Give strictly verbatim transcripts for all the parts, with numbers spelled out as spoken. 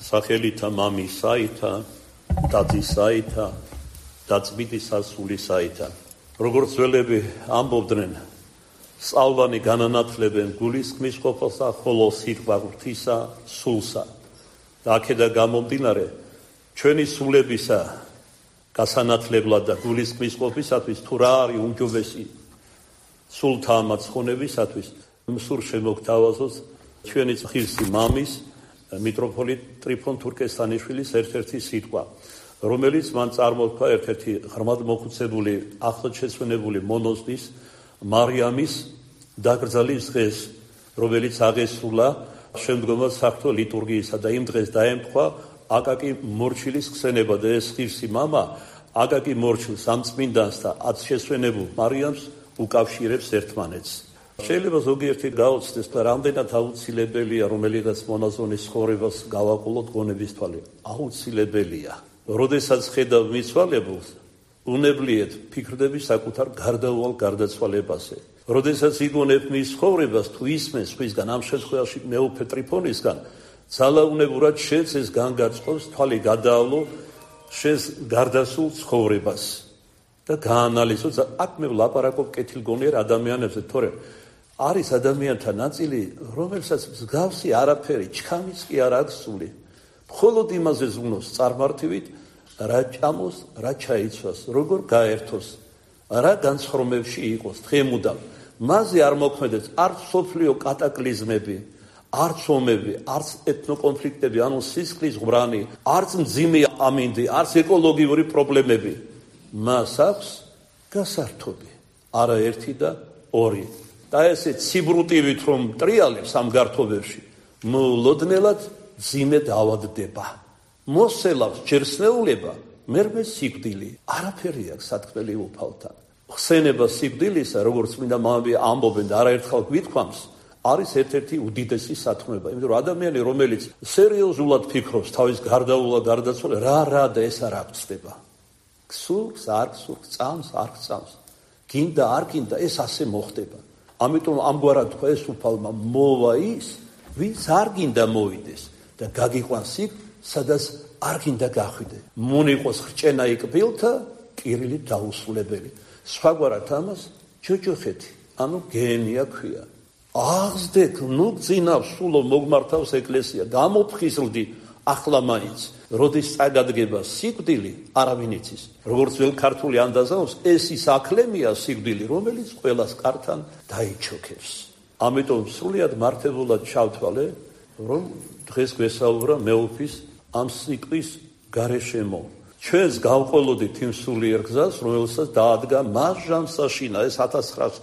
სახელითა მამისაითა, დადისაითა და წმინდი სასულისაითა. როგორც ძველები ამბობდნენ, სწავლანი განანათლებენ გულისხმის ყოფილსა, ხოლო სიტყვა ღვთისა სულსა. და აქედან გამომდინარე, ჩვენი სულებისა გასანათლებლად და გულისხმის ყოფისათვის თუ რა არის უმჯობესი სულთა ამაცხონებისათვის, მსურ შემოგთავაზოთ ჩვენი ღირსი მამის მიტროფოლიტ ტრიფონ თურქესტანიშვილის ერთ-ერთი სიტყვა, რომელიც მან წარმოთქვა ერთ-ერთი ღრმად მოხუცებული ახლადშეცვენებული მონაზნის მარიამის დაკრძალვის დღეს, რომელიც აღესრულა შემდგომად საღვთო ლიტურგიისა და იმ დღეს დაემთხვა აკაკი მორჩილის ხსენება და ეს ღირსი მამა აკაკი მორჩილს ამ წმინდანს და ათშესვენებულ მარიამს უკავშირებს ერთმანეთს. შეიძლება ზოგიერთი გაოცდეს და რამდენად აუცილებელია რომელიღაც მონაზონის ცხოვრებას გავაყოლოთ გონების თვალე. აუცილებელია. როდესაც ხედავ მიცვალებულს, უნებლიეთ ფიქრდები საკუთარ გარდაუვალ გარდაცვალებაზე. როდესაც იგონებ მის ცხოვრებას თუ ისმენს სხვისგან, ამ შემთხვევაში მეუფე ტრიფონისგან, ძალაუნებურად შეცეს განგარწყობს თვალი გადაავლო შენს გარდასულ ცხოვრებას და გაანალიზო. აქ მე ვლაპარაკობ კეთილგონიერ ადამიანებზე, თორემ არის ადამიანთა ნაწილი, რომელსაც მსგავსი არაფერი, ჩქამიც კი არ აქვს სული. მხოლოდ იმაზე ზრუნავს წარმართივით, რა ჭამოს, რა ჩაიცვას, როგორ გაერთოს, რა განცხრომებში იყოს დღემუდამ. მასზე არ მოქმედებს არც სოფლიო კატაკლიზმები, არც ომები, არც ეთნოკონფლიქტები, ანუ სისხლის ღვრანი, არც მძიმე ამინდი, არც ეკოლოგიური პრობლემები. მას აქვს გასართობი, არაერთი და ორი. და ესე ციბრუტივით რომ ტრიალებს ამ გართობებში, მოულოდნელად მძიმე დავადდება. მოსელავს ჯერსნეულება, მერმე სიკვდილი. არაფერი აქვს სათქმელი უფალთან. ხსენება სიკვდილისა, როგორც მინდა მამები ამბობენ და არაერთხელ გვითქვამს, არის ერთ-ერთი უდიდესი სათქმება. იმიტომ რომ ადამიანი, რომელიც სერიოზულად ფიქრობს თავის გარდაულა გარდაცვალება, რა რა და ეს არ აღწდება. გსურს, არ გსურს, წამს, არ გწამს. გინდა, არ გინდა, ეს ასე მოხდება. ამიტომ ამგვარად თქვა ეს უფალმა, მოვა ის, ვინც არ გინდა მოვიდეს და გაგიყვანს იქ, სადაც არ გინდა გახვიდე. მონიყოს ხრჭენა იკბილთა, კირილი დაუსრულებელი. სხვაგვარად ამას ჯოჯოხეთი, ანუ გენია ქვია. აღზდეთ, ნუ გძინავს, სულო მოგმართავს ეკლესია, გამოფხიზლდი ახლა მაინც. როდის წაგადგება სიკვდილი, არავინ იცის. როგორც վել ქართული ანდაზაობს, ეს ის აკლემია სიკვდილი, რომელიც ყველას კართან დაიჩოქებს. ამიტომ სრულიად მართებულად ჩავთვალე, რომ დღეს გვესაუბრა მეუფის ამ სიტყვის გარეშემო. ჩვენს გავყოლოდით იმ სულიერ გზას, რომელსაც დაადგა მას ჟამსაშინა, ეს ათას ცხრაას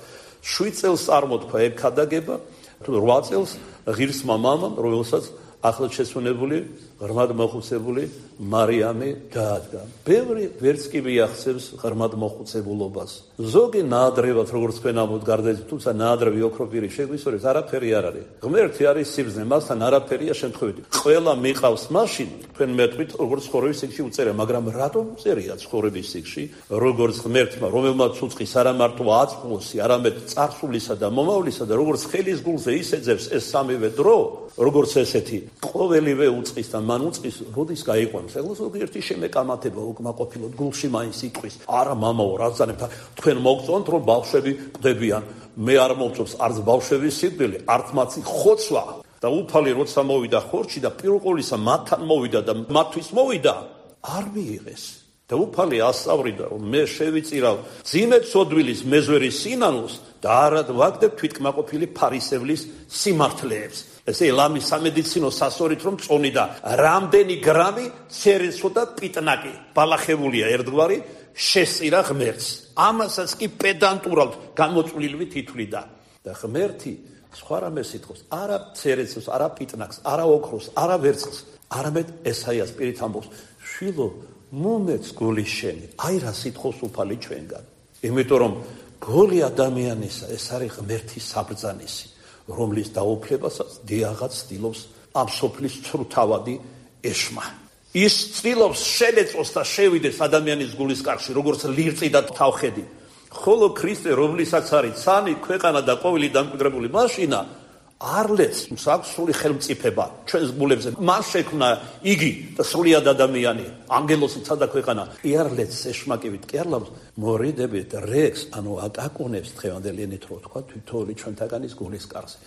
შვიდ წელს წარმოთქვა ეკადაგება, რვა წელს ღირსმა მამამ, რომელსაც ახლადშეცვენებული, ღრმად მოხუცებული მარიამი დაადგა. ბევრი ვერც კი მიაღწევს ღრმად მოხუცებულობას. ზოგი ნაადრევად, როგორც თქვენ ამბობთ, გარდაიცვალა, თუმცა ნაადრევი ოქროპირი შეგვისწორებს, არაფერი არ არის. ღმერთი არის სიბრძნე, მასთან არაფერია შემთხვევით. ყველა მიყავს მაშინ, თქვენ მეტყვით, როგორც ცხოვრების სიგში უწერია, მაგრამ რატომ უწერია ცხოვრების სიგში, როგორც ღმერთმა, რომელმაც უწყის არა მარტო აწმოსი, არამედ წარსულისა და მომავლისა და როგორც ხელის გულზე ისეძებს ეს სამივე დრო, როგორც ესეთი ყოველივე უწყის და მან უწყის როდის გაიყვანს. ეხლა ზოგიერთი შემეკამათება უკმაყოფილოდ გულში მაინც იტყვის, არა მამაო, რაც ძანებთან თქვენ მოგწონთ რომ ბავშვები ყდებიან. მე არ მომწონს არც ბავშვების სიკვდილი, არც მათი ხოცვა. და უფალი როცა მოვიდა ხორცში და პირველ ყოვლისა მათთან მოვიდა და მათთვის მოვიდა, არ მიიღეს. და უფალი ასწავლიდა, რომ მე შევიწირავ ძიმე ცოდვილის მეზვერის სინანულს და არად ვაგდებ თვითკმაყოფილი ფარისევლის სიმართლეებს. ესე ლამის სამედიცინო სასორით რომ წონი და რამდენი გრამი ცერესო და პიტნაკი ბალახებულია ერთგვარი შესწირა ღმერთს. ამასაც კი პედანტურად გამოწვლილივით ითვლიდა. და ღმერთი სხვა რამე სიტყვის, არა ცერესოს, არა პიტნაკს, არა ოქროს, არა ვერცხლს, არამედ ესაიას პირით ამბობს, შვილო, მომეც გული შენი. აი რა სიტყვის უფალი ჩვენგან. იმიტომ რომ გული ადამიანისა ეს არის ღმერთის საბრძანისი, რომლის დაუფლებასაც დიაღაც ცდილობს ამ სოფლის ცრუთავადი ეშმა. ის ცდილობს შელეწოს და შევიდეს ადამიანის გულის კარში, როგორც ლირწი და თავხედი. ხოლო ქრისტე, რომლისაც არის ცანი, ქვეყანა და ყოველი დამკვიდრებული მაშინა, არლეც აქვს სული ხელმწიფება ჩვენს გულებზე. მან შექმნა იგი და სულიად ადამიანი, ანგელოსი ცადა ქვეყანა. იარლეც ეშმაკივით კერლავს მორიდებით რეკს, ანუ აკაკუნებს დღევანდელი ენით რო თქვა თითოეული ჩვენთაგანის გულის კარზე.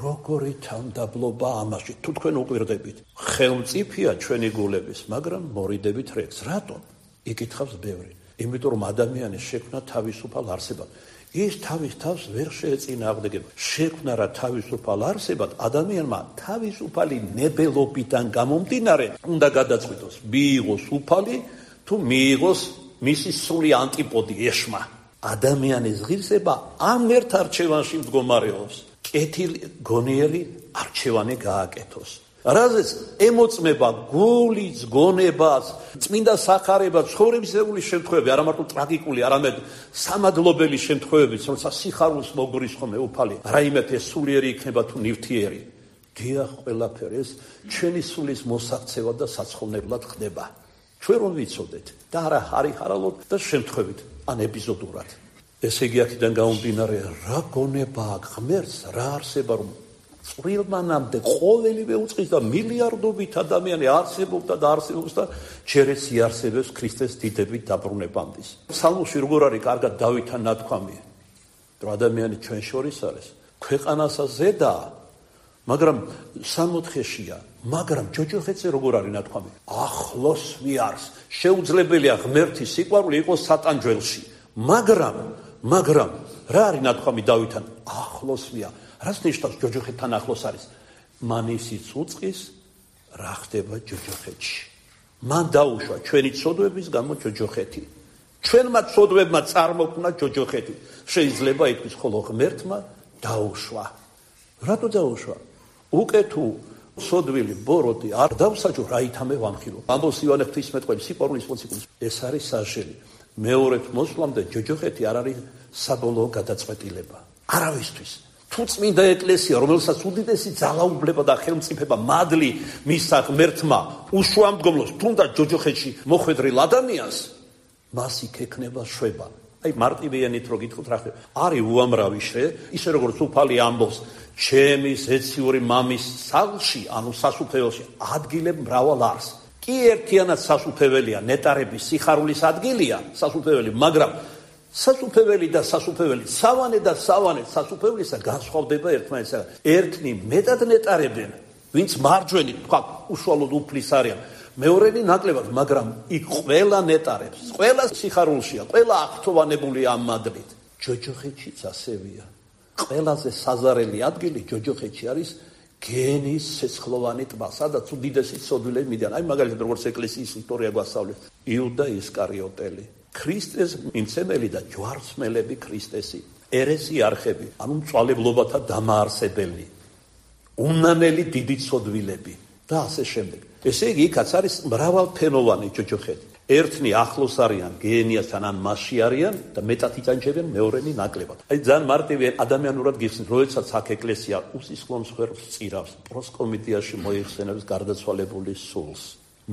როგორი თანდაბლობა ამაში, თუ თქვენ უყვირდებით. ხელმწიფეა ჩვენი გულების, მაგრამ მორიდებით რეკს. რატომ? იკითხავს ბევრი. იმიტომ რომ ადამიანი შექმნა თავისუფალ არსებად. ის თავის თავს ვერ შეეწინააღმდეგება. შექმნა რა თავისუფალ არსებად, ადამიანმა თავისუფალი ნებელობიდან გამომდინარე უნდა გადაწყვიტოს, მიიღოს უფალი თუ მიიღოს მისი სული ანტიპოდი ეშმა. ადამიანის ღირსება ამ ერთ არჩევანში მდგომარეობს. კეთილი გონიერი არჩევანი გააკეთოს. რაზეც ემოწმება გულის გონებას, წმინდა სახარება, ცხოვრებისეული შემთხვევები, არა მარტო ტრაგიკული, არამედ სამადლობელი შემთხვევებიც, როცა სიხარულს მოგურის ხოლმე უფალი, რაიმე ეს სულიერი იქნება თუ ნივთიერი. დიახ, ყველაფერი ეს ჩვენი სულის მოსაქცევად და საცხოვნებლად ხდება. ჩვენ რომ ვიცოდეთ და არა ხარიხარალოდ და შემთხვევით, ან ეპიზოდურად. ესე იგი აქედან გამომდინარე, რა გონება აქვს ღმერთს, რა არსება რომ წვრილმანამდე ყოველივე უწყის და მილიარდობით ადამიანი არსებობდა და არსებობს და ჯერეც იარსებებს ქრისტეს დიდებით დაბრუნებამდის. ფსალმში როგორ არის კარგად დავითთან ნათქვამი, რომ ადამიანი ჩვენ შორის არის, ქვეყანასა ზედაა, მაგრამ სამოთხეშია, მაგრამ ჯოჯოხეთზე როგორ არის ნათქვამი? ახლოს მიარს, შეუძლებელია ღმერთის სიყვარული იყოს სატანჯველში, მაგრამ, მაგრამ რა არის ნათქვამი დავითთან? ახლოს მია. რას ნიშნავს ჯოჯოხეთთან ახლოს არის? მან ისიც უწყის, რა ხდება ჯოჯოხეთში. მან დაუშვა ჩვენი ცოდვების გამო ჯოჯოხეთი. ჩვენმა ცოდვებმა წარმოქმნა ჯოჯოხეთი. შეიძლება ითქვას, ხოლო ღმერთმა დაუშვა. რატო დაუშვა? უკვე თუ სოდვილი ბოროტი არ დავსაჯო, რა ითამე ვამხილო. ამბობს ივანე ღვთისმეტყველი სიყვარულის მოციქულის. ეს არის საშელი. მეორედ მოსვლამდე ჯოჯოხეთი არ არის საბოლოო გადაწყვეტილება. არავისთვის. თუ წმინდა ეკლესია, რომელსაც უდიდესი ძალაუფლება და ხელმწიფება მადლი მისცა ღმერთმა, უშუამდგომლოს თუნდაც ჯოჯოხეთში მოხვედრილ ადამიანს, მას იქ ექნება შვება. აი მარტივიანით რო გითხოთ რა ხდება? არის უამრავი შე, ისე როგორც უფალი ამბობს, ჩემი ზეციური მამის სახლში, ანუ სასუფეველში, ადგილებ მრავალ არს. კი ერთიანად სასუფეველია, ნეტარების სიხარულის ადგილია, სასუფეველი, მაგრამ სასუფეველი და სასუფეველი, სავანე და სავანე სასუფევლისა განსხვავდება ერთმანეთისგან. ერთნი მეტად ნეტარებენ, ვინც მარჯვენი, თქვა, უშუალოდ უფლის არიან. მეორენი ნაკლებად, მაგრამ იქ ყველა ნეტარებს, ყველა სიხარულშია, ყველა აღთოვანებულია ამ მადლით. ჯოჯოხეთშიც ასევია. ყველაზე საზარელი ადგილი ჯოჯოხეთში არის გენის ცეცხლოვანი ტბა, სადაც უდიდესი ცოდვილები მიდიან. აი მაგალითად როგორც ეკლესიის ისტორია გვასწავლებს, იუდა ისკარიოტელი. ქრისტეს მიმცემელი და ჯვარცმელები ქრისტესი, ერესიარხები, ანუ მწვალებლობათა დამაარსებელი, უნანელი დიდი ცოდვილები და ასე შემდეგ. ესე იგი, იქაც არის მრავალფენოვანი ჯოჯოხეთი. ერთნი ახლოს არიან გეენიასთან ან მასში არიან და მეტად იტანჯებიან, მეორენი ნაკლებად. აი ძალიან მარტივი ადამიანურად გიხსნით, როდესაც აქ ეკლესია უსისხლოს ხერხს წირავს, პროსკომიტიაში მოიხსენებს გარდაცვალებული სულს.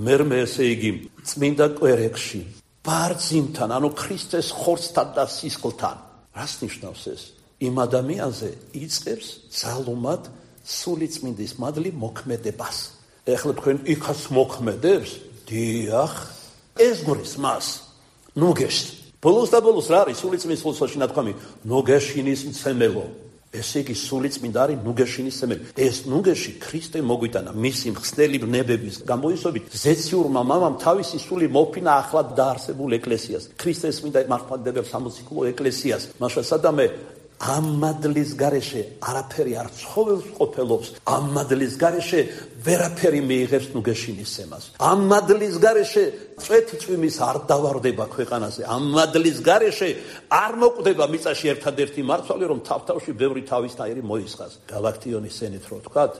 მერმე ესე იგი წმინდა კვერეკში ბარძიმთან, ანუ ქრისტეს ხორცთან და სისხლთან. რას ნიშნავს ეს? იმ ადამიანზე იწყებს ძალუმად სული წმინდის მადლი მოქმედებას. ეხლა თქვენ იქაც მოქმედებს? დიახ, ეს გვრის მას. ნუგეშ. ბოლოს და ბოლოს რა არის სული წმინდის ხორცში ნათქვამი? ნუგეშინის მცემელო. ესე იგი სული წმინდა არის ნუგეშინის მცემელი. ეს ნუგეში ქრისტე მოგვიტანა მისი მხსნელი ბნებების გამოისობით ზეციურმა მამამ თავისი სული მოფინა ახლად დაარსებულ ეკლესიას. ქრისტეს წმინდა მართლმადიდებელ სამოციქულო ეკლესიას. მაშა სადამე ამ მადლის გარეშე არაფერი არ ცხოველს ყოფილობს. ამ მადლის გარეშე ვერაფერი მიიღებს ნუგეშინის სემას. ამ მადლის გარეშე წვეთი წვიმის არ დავარდება ქვეყანაზე. ამ მადლის გარეშე არ მოკვდება მიწაში ერთადერთი მარცვალი, რომ თავ-თავში ბევრი თავისნაირი მოისხას. გალაქტიონის ენით რო ვთქვათ,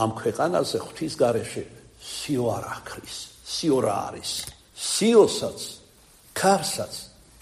ამ ქვეყანაზე ღვთის გარეშე სიო არ აქრის, სიო რა არის. სიოსაც, ქარსაც,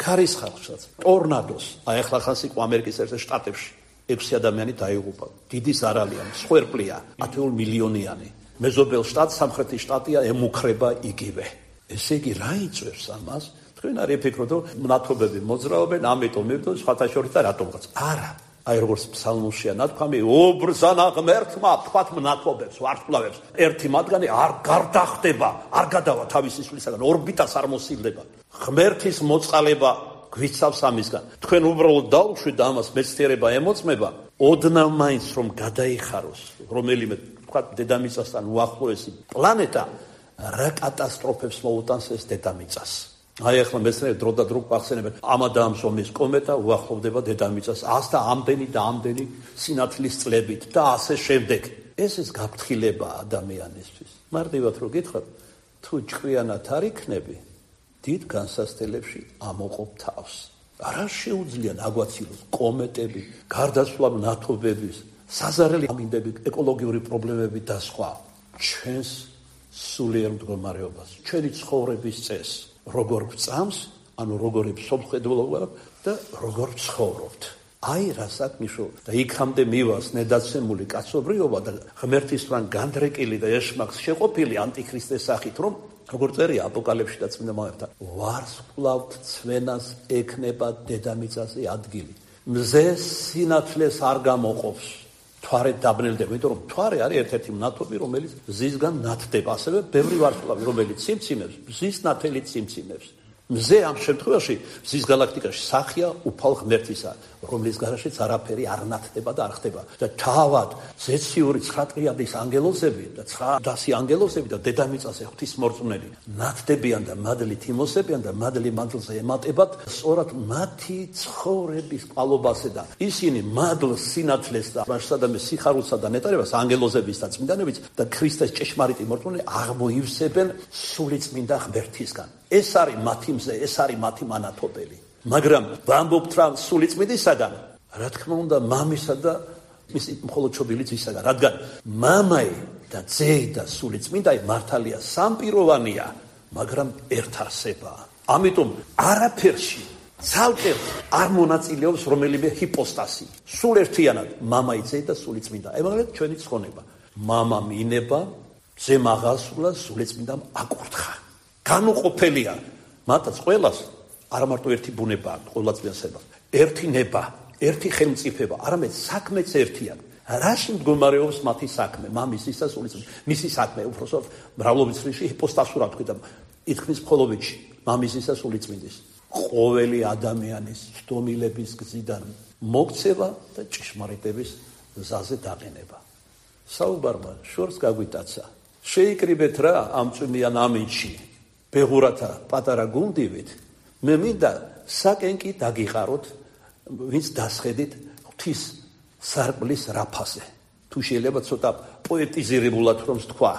ქარის ხალხსაც, ტორნადოს, აი ახლა ხან სიყო ამერიკის ერთ შტატებში ექვსი ადამიანი დაიღუპა. დიდი ზარალია, მსხვერპლია, ათეულ მილიონიანი. მეზობელ შტატს, სამხრეთის შტატია, ემუქრება იგივე. ესე იგი, რა იწვევს ამას? თქვენ არ იფიქროთ, რომ მნათობები მოძრაობენ, ამიტომ მივდო სხვათა შორის და რატომღაც. არა, აი როგორც ფსალმუშია ნათქვამი, უბრძანა ღმერთმა თქვათ მნათობებს, ვარსკვლავებს, ერთი მათგანი არ გარდახდება, არ გადავა თავისი სულისაგან, ორბიტას არ მოსილდება. ღმერთის მოწყალება გვიცავს ამისგან. თქვენ უბრალოდ დაუშვით და ამას მეცდიერება ემოწმება, ოდნავ მაინც რომ გადაიხაროს რომელიმე თქვათ დედამიწასთან უახლოესი პლანეტა, რა კატასტროფებს მოუტანს ეს დედამიწას. აი ახლა მეცნიერები დრო და დრო გვახსენებენ, ამა და ამ ზომის კომეტა უახლოვდება დედამიწას ას და ამდენი და ამდენი სინათლის წლებით და ასე შემდეგ. ეს ის გაფრთხილება ადამიანისთვის. მარტივად რო გითხრათ, თუ ჭკვიანად არ იქნები, დიდ განსასწრებში ამოყოფ თავს. არა შეუძლია აგვაცილოს კომეტები, გარდაცვლილ ნათობების, საზარელი ამინდები, ეკოლოგიური პრობლემები და სხვა. ჩვენს სულიერ მდგომარეობას, ჩვენი ცხოვრების წესს, როგორ ვწამს, ანუ როგორი მსოფლმხედველობა და როგორ ცხოვრობთ. აი რასაც ნიშნავს და იქამდე მივას ნედაცემული კაცობრიობა და ღმერთისგან განდრეკილი და ეშმაკს შეყოფილი ანტიქრისტეს სახით, რომ როგორ წერია აპოკალიფსში და წმინდა მამებთან, ვარსკვლავთ ცვენას ექნება დედამიწაზე ადგილი. მზე სინათლეს არ გამოყოფს. თვარე დაბნელდება, იმიტომ რომ თვარე არის ერთ-ერთი მნათობი, რომელიც მზისგან ნათდება. ასევე ბევრი ვარსკვლავი, რომელიც ციმციმებს, მზის ნათელი ციმციმებს. მზე ამ შემთხვევაში მზის გალაქტიკაში სახია უფალ ღმერთისა, რომლის გარშეც არაფერი არ ნათდება და არ ხდება. და თავად ზეციური ცხრა ტრიადის ანგელოზები და ცხრადასი ანგელოზები და დედამიწაზე ღვთისმორწმუნეები ნათდებიან და მადლით იმოსებიან და მადლი მადლზე ემატებათ, სწორად მათი ცხოვრების ყალობასე და ისინი მადლს, სინათლეს და მასშტაბების სიხარულსა და ნეტარებას ანგელოზების და წმინდანების და ქრისტეს ჭეშმარიტი მორწმუნეები აღმოივსებენ სული წმინდა ღმერთისგან. ეს არის მათი მზე, ეს არის მათი მანათობელი. მაგრამ ვამბობთ რა სული წმინდისაგან, რა თქმა უნდა მამისა და მისი მხოლოდ ჩობილი ძისაგან, რადგან მამაი და ძე და სული წმინდაი მართალია სამპიროვანია, მაგრამ ერთ არსებაა. ამიტომ არაფერში ცალკე არ მონაწილეობს რომელიმე ჰიპოსტასი. სულ ერთიანად მამაი, ძე და სული წმინდა. ემაგალეთ ჩვენი ცხონება. მამა მინება, ძე მაღალსულა, სული წმინდამ აკურთხა. განუყოფელია მათაც ყველას არა მარტო ერთი ბუნება აქვს ყოვლადწმიდასებას, ერთი ნება, ერთი ხელმწიფება, არამედ საქმეც ერთია. რაში მდგომარეობს მათი საქმე, მამის ისა სულის მისი საქმე, უბრალოდ მრავლობის ხრივში ჰიპოსტასურად თქვი და ითქმის მხოლობითში, მამის ისა სულიწმინდის. ყოველი ადამიანის სდომილების გზიდან მოქცევა და ჭეშმარიტების გზაზე დაყენება. საუბარმა შორს გაგვიტაცა. შეიკრიბეთ რა ამ წვიმიან ამინდში. ბეღურათა პატარა გუნდივით, მე მინდა საკენკი დაგიყაროთ, ვინც დასხედით ღვთის სარკმლის რაფაზე. თუ შეიძლება ცოტა პოეტიზირებულად რომ თქვა.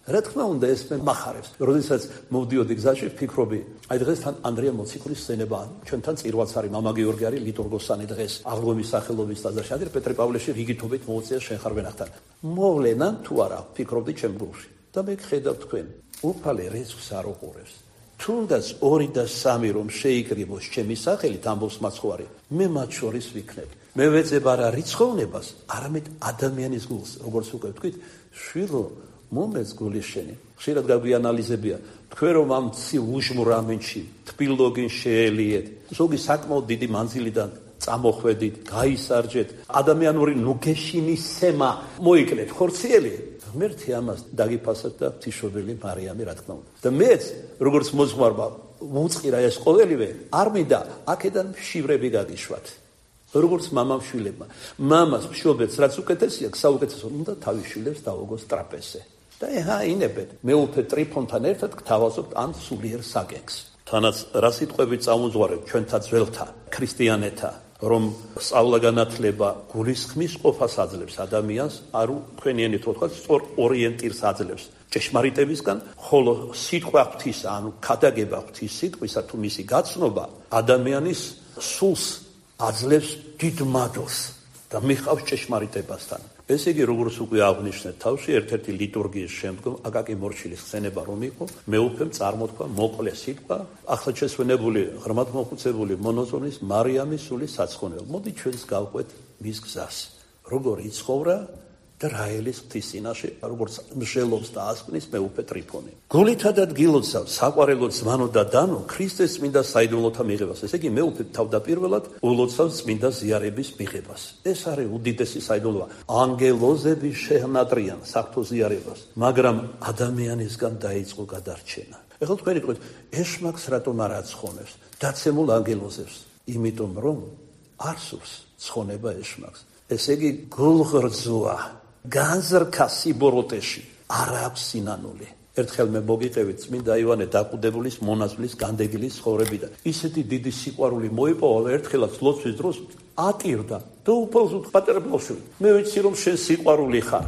რა თქმა უნდა ეს მე მახარებს. როდესაც მოვდიოდი გზაში, ვფიქრობი, აი დღეს თან ანდრია მოციქულის სცენება, ჩვენთან წირვაც არის, მამა გიორგი არის ლიტურგოსანი დღეს, აღდგომის სახელობის ტაძარში, ანდრია პეტრე პავლეში რიგითობით მოუწია შენ ხარ ვენახთან. მოვლენა თუ არა, ვფიქრობდი ჩემ გულში. და მე ხედავ თქვენ უფალე რიცხვს არ უყურებს. თუნდაც ორი და სამი რომ შეიკრიბოს ჩემი სახელით ამბობს მაცხოვარი, მე მათ შორის ვიქნებ. მე ვეძებ არა რიცხოვნებას, არამედ ადამიანის გულს, როგორც უკვე ვთქვით, შვილო მომეც გულის შენი. ხშირად გაგვიანალიზებია, თქვენ რომ ამ ცივ უჟმურ ამინდში თბილოგინ შეელიეთ, ზოგი საკმაოდ დიდი მანძილიდან წამოხვედით, გაისარჯეთ, ადამიანური ნუგეშინის სემა მოიკლეთ ხორციელი. ღმერთი ამას დაგიფასოთ და ღვთისმშობელი მარიამი რა თქმა უნდა. და მეც როგორც მოძღვარმა უწყირა ეს ყოველივე, არ მინდა აქედან მშივრები გაგიშვათ. როგორც მამამ შვილებმა. მამას მშობელს რაც უკეთესია, საუკეთესო უნდა თავის შვილებს დაუგოს ტრაპეზზე. და ეჰა ინებეთ, მეუფე ტრიფონთან ერთად გთავაზობთ ამ სულიერ საკენკს. თანაც რა სიტყვები წამოძღვარეთ ჩვენთა ძველთა, ქრისტიანეთა, რომ სწავლა-განათლება გულისხმის ყოფას აძლევს ადამიანს, არ თქვენიენით ვთქვათ, სწორ ორიენტირს აძლევს ჭეშმარიტებისგან, ხოლო სიტყვა ღვთისა, ანუ ქადაგება ღვთის სიტყვისა თუ მისი გაცნობა ადამიანის სულს აძლევს დიდ მადლს და მიხავს ჭეშმარიტებასთან. ესე იგი, როგორც უკვე აღნიშნეთ თავში, ერთ-ერთი ლიტურგიის შემდგომ აკაკი მორჩილის ხსენება რომ იყო, მეუფემ წარმოთქვა მოკლე სიტყვა, ახლა შესვენებული ღრმად მოხუცებული მონოზონის მარიამის სულის საცხონელ. მოდი ჩვენს გავყვეთ მის გზას. როგორ იცხოვრა და რაელის ღვთის წინაშე, როგორც მსჯელობს და ასკვნის მეუფე ტრიფონი. გულითა და დგილოცა საყვარელო ზმანო და დანო ქრისტეს წმინდა საიდუმლოთა მიღებას. ესე იგი მეუფე თავდაპირველად ულოცავს წმინდა ზიარების მიღებას. ეს არის უდიდესი საიდუმლოა. ანგელოზები შეჰნატრიან საღვთო ზიარებას, მაგრამ ადამიანისგან დაიწყო გადარჩენა. ეხლა თქვენ იგივე ეშმაკს რატომ არ აცხონებს დაცემულ ანგელოზებს? იმიტომ რომ არსობს ცხონება ეშმაკს. ესე იგი გულღრძოა, განზრქა სიბოროტეში, არ აქვს სინანული. ერთხელ მე მოგიყევით წმინდა იოანე დაკვდებულის მონაზვლის განდეგილის ცხოვრებიდან. ისეთი დიდი სიყვარული მოიპოვა, ერთხელაც ლოცვის დროს ატირდა და უფალს პატარა ბავშვი, მე ვიცი რომ შენ სიყვარული ხარ.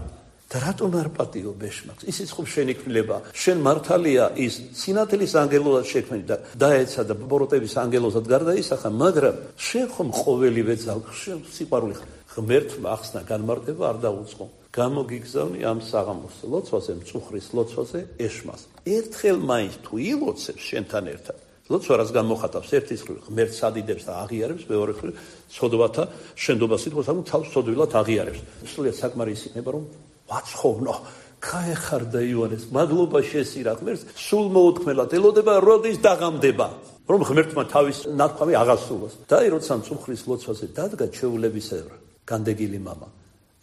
და რატომ არ პატიობ ეშმაკს? ისიც ხომ შენი კვლება, შენ მართალია ის სინათლის ანგელოზად შექმნილი და დაეცა და ბოროტების ანგელოზად გარდაისახა, მაგრამ შენ ხომ ყოველივე ძალ შენ სიყვარული ხარ. ღმერთმა ახსნა განმარტება არ დაუწყო. გამოგიგზავნი ამ საღამოს ლოცვაზე, მწუხრის ლოცვაზე ეშმას. ერთხელ მაინც თუ ილოცებს შენთან ერთად, ლოცვა რას გამოხატავს? ერთის მხრივ ღმერთს ადიდებს და აღიარებს, მეორე მხრივ სოდვათა შენდობას ითხოვს, ანუ თავს სოდვილად აღიარებს. სულიად საკმარისი იქნება რომ ვაცხოვნო, გაეხარდა იოანეს, მადლობა შესირა ღმერთს, სულ მოუთქმელად ელოდება, როდის დაღამდება, რომ ღმერთმა თავის ნათქვამი აღასრულოს. და აი როცა მწუხრის ლოცვაზე დადგა ჩვეულებისებრ განდეგილი მამა,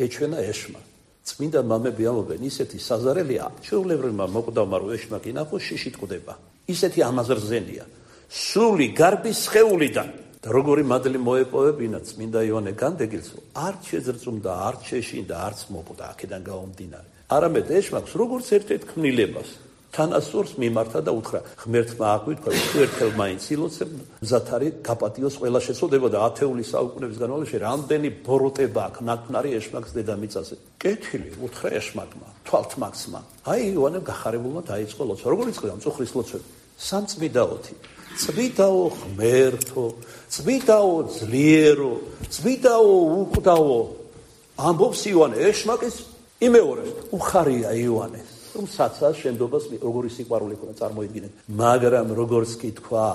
ეჩვენა ეშმა. წმინდა მამები ამბობენ, ისეთი საზარელია, ჩვეულებრივმა მოკვდავმა რო ეშმაკი ნახოს, შიში ტყდება. ისეთი ამაზრზენია, სული გარბის სხეულიდან. და როგორი მადლი მოეპოვებინა წმინდა იოანე განდეგილს, არც შეძრწუმდა, არც შეშინდა, არც მოკვდა აქედან გამომდინარე. არამედ ეშმაკს როგორც ერთ-ერთ ქმნილებას თანასწორს მიმართა და უთხრა, ღმერთმა აღვიქვა, თუ ერთხელ მაინც ილოცებ, მზად არის გაპატიოს ყველა შეცოდება და ათეული საუკუნეების განმავლობაში რამდენი ბოროტება აქვს ნათნარი ეშმაკს დედამიწაზე. კეთილი უთხრა ეშმაკმა, თვალთმაქსმა. აი იოანემ გახარებულმა დაიწყო ლოცვა. როგორ იწყება მწუხრის ლოცვები? სამწმიდაოთი. წმიდაო ღმერთო, წმიდაო ძლიერო, წმიდაო უკვდავო. ამბობს იოანე ეშმაკის იმეორებს. უხარია იოანეს, რომ საცას შენდობას როგორი სიყვარული ქონდა წარმოიდგინეთ. მაგრამ როგორც კი თქვა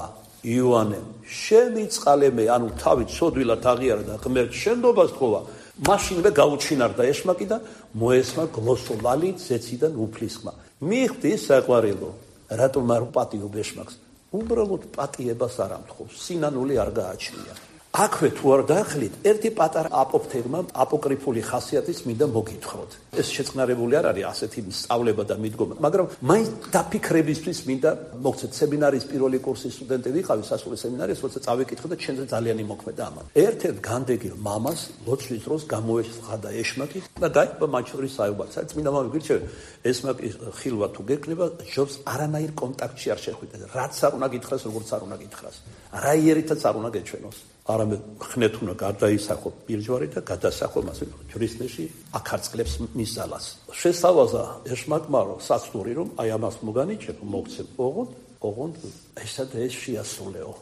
იოანემ, შემიწყალე მე, ანუ თავით სოდვილად აღიარა და ღმერთს შენდობას თხოვა, მაშინვე გაუჩინარდა ეშმაკი და მოესმა გლოსოლალი ზეციდან უფლისხმა. მიხვდი საყვარელო, რატომ არ პატიობ ეშმაკს? უბრალოდ პატიებას არ ამთხოვს, სინანული არ გააჩნია. აქვე თუ არ დაახლით, ერთი პატარა აპოფთეგმა აპოკრიფული ხასიათის მინდა მოგითხროთ. ეს შეწყნარებული არ არის ასეთი სწავლება და მიდგომა, მაგრამ მაინც დაფიქრებისთვის მინდა მოგცეთ. სემინარის პირველი კურსის სტუდენტი ვიყავი სასულე სემინარიის, როცა წავიკითხე და ჩემზე ძალიან იმოქმედა ამან. ერთ-ერთ განდეგილ მამას ლოცვის დროს გამოეცხადა ეშმაკი და დაიწყო მათ შორის საუბარი. წმინდა მამები გირჩევენ, ეშმაკი ხილვა თუ გეკნება, ჯობს არანაირ კონტაქტში არ შეხვიდეთ. რაც არ უნდა გითხრას, როგორც არ უნდა გითხრას. რაიერითაც არ უნდა გეჩვენოს. არამედ ხნეთ უნდა გარდაისახო პირჯვარი და გადასახო მასე ჯვრისნეში აკარწყლებს მის ძალას. შესთავაზა ეშმაკმა რომ საცდური რომ აი ამას მოგანიჭებ, მოგცემ ოღონდ, ოღონდ ესა და ეს შეასრულეო.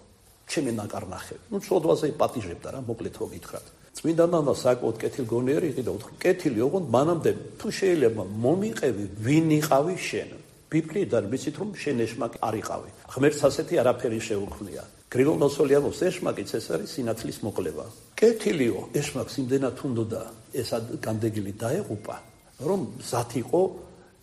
ჩემი ნაკარნახები. ნუ ცოდვაზე პატიჟებდა რა, მოკლედ რო გითხრათ. წმინდა მამა საკუთ კეთილგონიერი იყო და უთხრა, კეთილი ოღონდ მანამდე თუ შეიძლება მომიყევი, ვინ იყავი შენ. ბიბლიიდან ვიცით რომ შენ ეშმაკი არ იყავი. ღმერთს ასეთი არაფერი შეუქმნია. გრიგოლ ნოსოლიამოს ეშმაკიც ეს არის სინათლის მოკლება. კეთილიო, ეშმაკს იმდენად უნდოდა ეს განდეგილი დაეღუპა, რომ მზად იყო,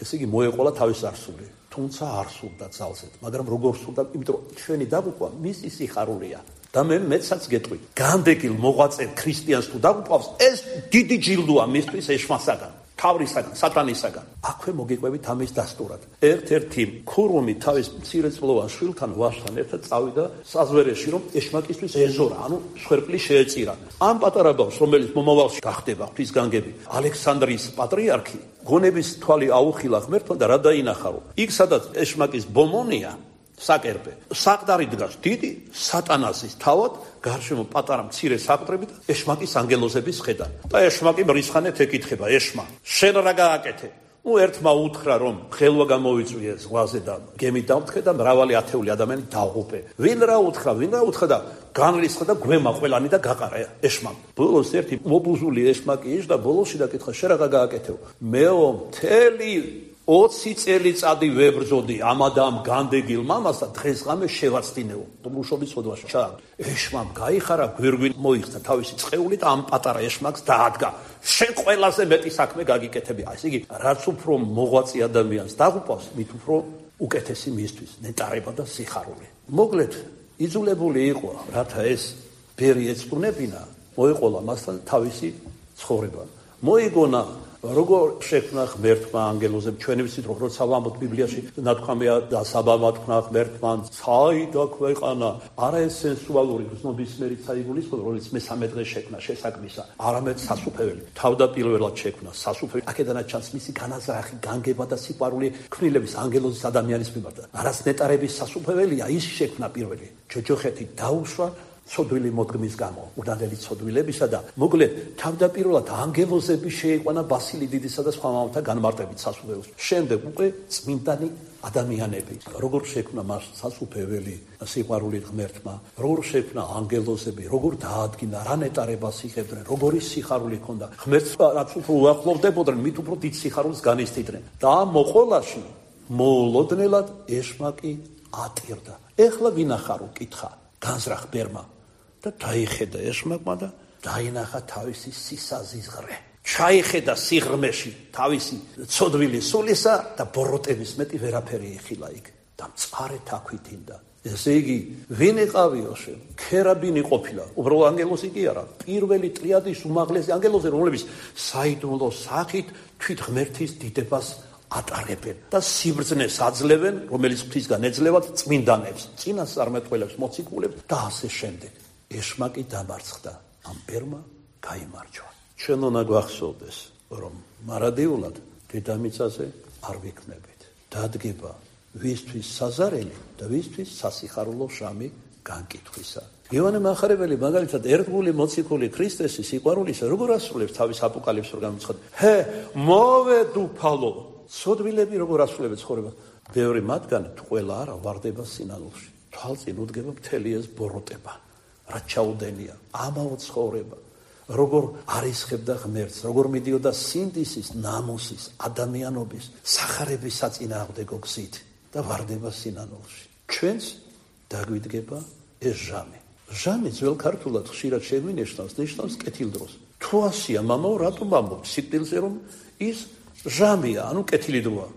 ესე იგი მოეყოლა თავის არსული. თუმცა არ სურდა ძალზედ, მაგრამ როგორ სურდა, იმიტომ რომ ჩვენი დაღუპვა მისი სიხარულია. და მე მეცაც გეტყვი, განდეგილ მოღვაწე ქრისტიანს თუ დაღუპავს, ეს დიდი ჯილდოა მისთვის ეშმაკსაგან. თავრისაგან, სატანისაგან. აქვე მოგიყვებით ამის დასტურად. ერთ-ერთი ქურუმი თავის მცირეწლოვან შვილთან ვაჟთან ერთად წავიდა საზვერეში, რომ ეშმაკისთვის ეზორა, ანუ სვერპლი შეეწირა. ამ პატარა ბავშვს, რომელიც მომავალში გახდება ღვთისგანგები, ალექსანდრიის პატრიარქი, გონების თვალი აუხილა ღმერთმა და რა დაინახა, რომ იქ სადაც ეშმაკის ბომონია, საკერპე, საყდარი დგას დიდი სატანასის თავად, გარშემო პატარა მცირე საყდრები და ეშმაკის ანგელოზების ხედა. და ეშმაკი მრისხანეთ ეკითხება, ეშმა, შენ რა გააკეთე? ნუ ერთმა უთხრა, რომ ხელვა გამოვიწვიე ზღვაზე და გემი დამთხე და მრავალი ათეული ადამიანი დაღუპე. ვინ რა უთხრა, ვინ რა უთხრა და განრისხა და გვემა ყველანი და გაყარა ეშმაკ. ბოლოს ერთი მობუზული ეშმაკი ის და ბოლოსში დაკითხა, შენ რა გააკეთე? მეო მთელი ოცი წელიწადი ვებრძოდი ამა და ამ განდეგილ მამას და დღესღამე შევაცდინეო. მუშობის ხოდვაში ჩა. ეშმამ გაიხარა, გვირგვინ მოიხსნა თავისი წყეული და ამ პატარა ეშმაკს დაადგა. შენ ყველაზე მეტი საქმე გაგიკეთები. ასე იგი, რაც უფრო მოღვაწე ადამიანს დაღუპავს, მით უფრო უკეთესი მისთვის ნეტარება და სიხარული. მოკლედ, იძულებული იყო, რათა ეს ბერი ეწუნებინა, მოეყოლა მასთან თავისი ცხოვრება. მოიგონა როგორ შექმნა ღმერთმა ანგელოზე, ჩვენი ვიცით რომ როცა ვამბობთ ბიბლიაში ნათქვამია და საბამა თქვა ღმერთმა საიდა ქვეყანა, არა ეს სენსუალური გრძნობისმიერი საიგულისხმება, რომელიც მესამე დღეს შექმნა შესაქმისა, არამედ სასუფეველი. თავდაპირველად შექმნა სასუფეველი. აქედანაც ჩანს მისი განაზრახი, განგება და სიყვარული ქმნილების ანგელოზის ადამიანის მიმართ. არას ნეტარების სასუფეველია, ის შექმნა პირველი. ჯოჯოხეთი დაუშვა ცოდვილი მოდგმის გამო, უდანელი ცოდვილებისა და მოკლედ თავდაპირველად ანგელოზები შეიყვანა ბასილი დიდისა და სხვა მამათა განმარტებით სასუფეველს. შემდეგ უკვე წმინდანი ადამიანები. როგორ შექმნა მას სასუფეველი სიყვარული ღმერთმა, როგორ შექმნა ანგელოზები, როგორ დაადგინა, რა ნეტარებას იღებდნენ, როგორი სიხარული ჰქონდა. ღმერთს რაც უფრო უახლოვდებოდნენ, მით უფრო დიდ სიხარულს განიცდიდნენ. და მოყოლაში მოულოდნელად ეშმაკი ატირდა. ეხლა ვინახარო, კითხა, განზრახ ბერმა. და დაიხედა ეშმაკმა და დაინახა თავისი სისაზიზღრე. ჩაიხედა სიღრმეში თავისი ცოდვილი სულისა და ბოროტების მეტი ვერაფერი იხილა იქ და მწყარეთ აქვითინდა. ესე იგი, ვინ იყავიო შენ? ქერაბინი ყოფილა. უბრალოდ ანგელოზი კი არა, პირველი ტრიადის უმაღლესი ანგელოზი, რომლებიც საიდუმლო სახით თვით ღმერთის დიდებას ატარებენ და სიბრძნეს აძლევენ, რომელიც ღვთისგან ეძლევათ წმინდანებს, წინასწარმეტყველებს, მოციქულებს და ასე შემდეგ. ეშმაკი დამარცხდა, ამ ბერმა გაიმარჯვა. ჩვენ უნდა გვახსოვდეს, რომ მარადიულად დედამიწაზე არ ვიქმნებით. დადგება ვისთვის საზარელი და ვისთვის სასიხარულო შამი განკითხვისა. იოანე მახარებელი მაგალითად ერთგული მოციქული ქრისტესი სიყვარულისა როგორ ასრულებს თავის აპოკალიფსურ განუცხადებას. ჰე, მოვედუფალო, ცოდვილები როგორ ასრულებენ ცხოვრებას. ბევრი მათგანი ყველა არა ვარდება სინანულში. თვალწინ უდგება მთელი ეს ბოროტება. რა ჩაუდენია, ამაო ცხოვრება. როგორ არისხებდა ღმერთს, როგორ მიდიოდა სინდისის, ნამუსის, ადამიანობის, სახარების საწინააღმდეგო გზით და ვარდება სინანულში. ჩვენც დაგვიდგება ეს ჟამი. ჟამი ძველ ქართულად ხშირად შეგვინიშნავს, ნიშნავს კეთილდროს. თუ ასია მამაო, რატომ ამბობთ სიკვდილზე, რომ ის ჟამია, ანუ კეთილი დროა.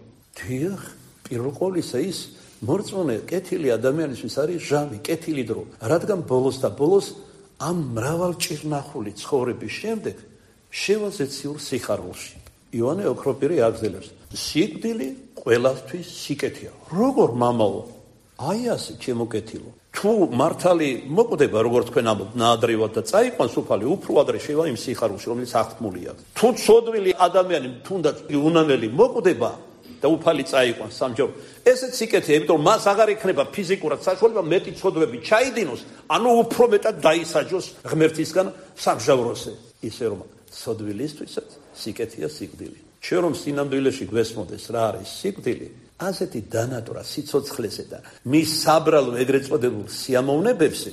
დიახ, პირველ ყოვლისა ის მორწმუნე კეთილი ადამიანისთვის არის ჟამი, კეთილი დრო. რადგან ბოლოს და ბოლოს ამ მრავალჭირნახული ცხოვრების შემდეგ შევაზეციურ სიხარულში. იოანე ოქროპირი აგზელებს. სიკვდილი ყველასთვის სიკეთეა. როგორ მამაო? აი ასე ჩემო კეთილო. თუ მართალი მოკვდება, როგორც თქვენ ამბობთ, ნაადრევად და წაიყვანს უფალი, უფრო ადრე შევა იმ სიხარულში, რომელიც აღთქმულია. თუ ცოდვილი ადამიანი თუნდაც უნანელი მოკვდება და უფალი წაიყვანს სამჯერ. ესეც სიკეთეა, იმიტომ მას აღარ იქნება ფიზიკურად საშუალება მეტი ცოდვები ჩაიდინოს, ანუ უფრო მეტად დაისაჯოს ღმერთისგან სამჟავროზე. ისე რომ ცოდვილისთვისაც სიკეთეა სიკვდილი. ჩვენ რომ სინამდვილეში გვესმოდეს რა არის სიკვდილი, ასეთი დანატვრა სიცოცხლეზე და მის საბრალო ეგრეთ წოდებულ სიამოვნებებზე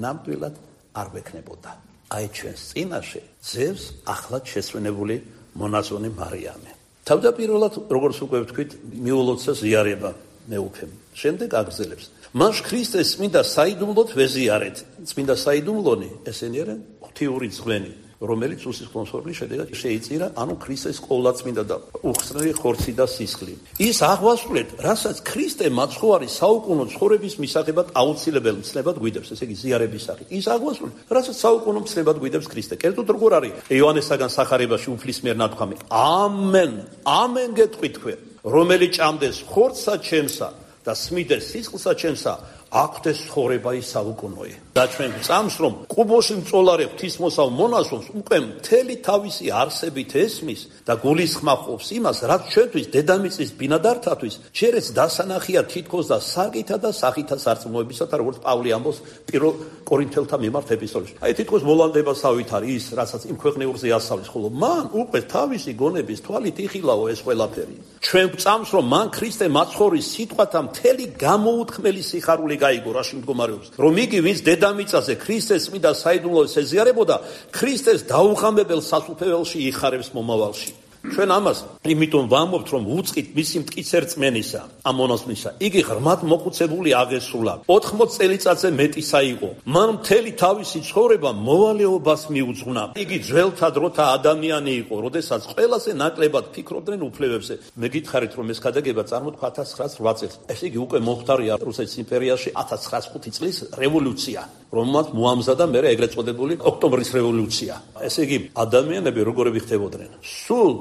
ნამდვილად არ ვექნებოდა. აი ჩვენს წინაშე ძევს ახლად შესვენებული მონაზონი მარიამე. თავდაპირველად, როგორც უკვე ვთქვით, მიულოცა ზიარება მეუფემ. შემდეგ აგრძელებს. მას ქრისტეს წმინდა საიდუმლოდ ვეზიარეთ. წმინდა საიდუმლონი ესენი არიან ღვთიური ძღვენი, რომელიც უსისხლოსმორგლის შედეგად შეიწირა, ანუ ქრისტეს ყოვლაწმინდა და უხსნელი ხორცი და სისხლი. ის აღვასრულეთ, რასაც ქრისტე მაცხოვარი საუკუნო ცხოვრების მისაღებად აუცილებელ მცნებად გვიდებს, ესე იგი ზიარების სახით. ის აღვასრულეთ, რასაც საუკუნო მცნებად გვიდებს ქრისტე. კერძოდ როგორ არის იოანესაგან სახარებაში უფლის მიერ ნათქვამი. ამენ, ამენ გეტყვით თქვენ, რომელი ჭამდეს ხორცსა ჩემსა და სმიდეს სისხლსა ჩემსა, აქვთ ცხოვრება ის საუკუნოი. და ჩვენ წამს რომ კუბოში მწოლარე ღვთისმოსავ მონაზონს უკვე მთელი თავისი არსებით ესმის და გულისხმობს იმას, რაც ჩვენთვის დედამიწის ბინადართათვის ჯერეც დასანახია თითქოს და საკითა და სახითა სარწმუნოებისათა, როგორც პავლე ამბობს პირველ კორინთელთა მიმართ ეპისტოლეში. აი თითქოს მოლანდებასავით არის ის, რასაც იმ ქვეყნიურზე ასავლის, ხოლო მან უკვე თავისი გონების თვალით იხილაო ეს ყველაფერი. ჩვენ წამს რომ მან ქრისტე მაცხოვრის სიტყვათა მთელი გამოუთქმელი სიხარული გაიგო, რაში მდგომარეობს, რომ იგი ვინც დედამიწაზე ქრისტეს წმინდა საიდუმლოს ეზიარებოდა, ქრისტეს დაუღამებელ სასუფეველში იხარებს მომავალში. ჩვენ ამას იმიტომ ვამბობთ, რომ უწყით მისი მტკიცე რწმენისა, ამ მონაზვნისა. იგი ღრმად მოხუცებული აღესრულა. ოთხმოც წელიწადზე მეტისა იყო. მან მთელი თავისი ცხოვრება მოვალეობას მიუძღვნა. იგი ძველთა დროთა ადამიანი იყო, როდესაც ყველაზე ნაკლებად ფიქრობდნენ უფლებებზე. მე გითხარით, რომ ეს ქადაგება წარმოთქვა ათას ცხრაას რვა წელს. ეს იგი უკვე მოხდარია რუსეთის იმპერიაში ათას ცხრაას ხუთი წლის რევოლუცია, რომელმაც მოამზადა მერე ეგრეთ წოდებული ოქტომბრის რევოლუცია. ესე იგი, ადამიანები როგორები ხდებოდნენ? სულ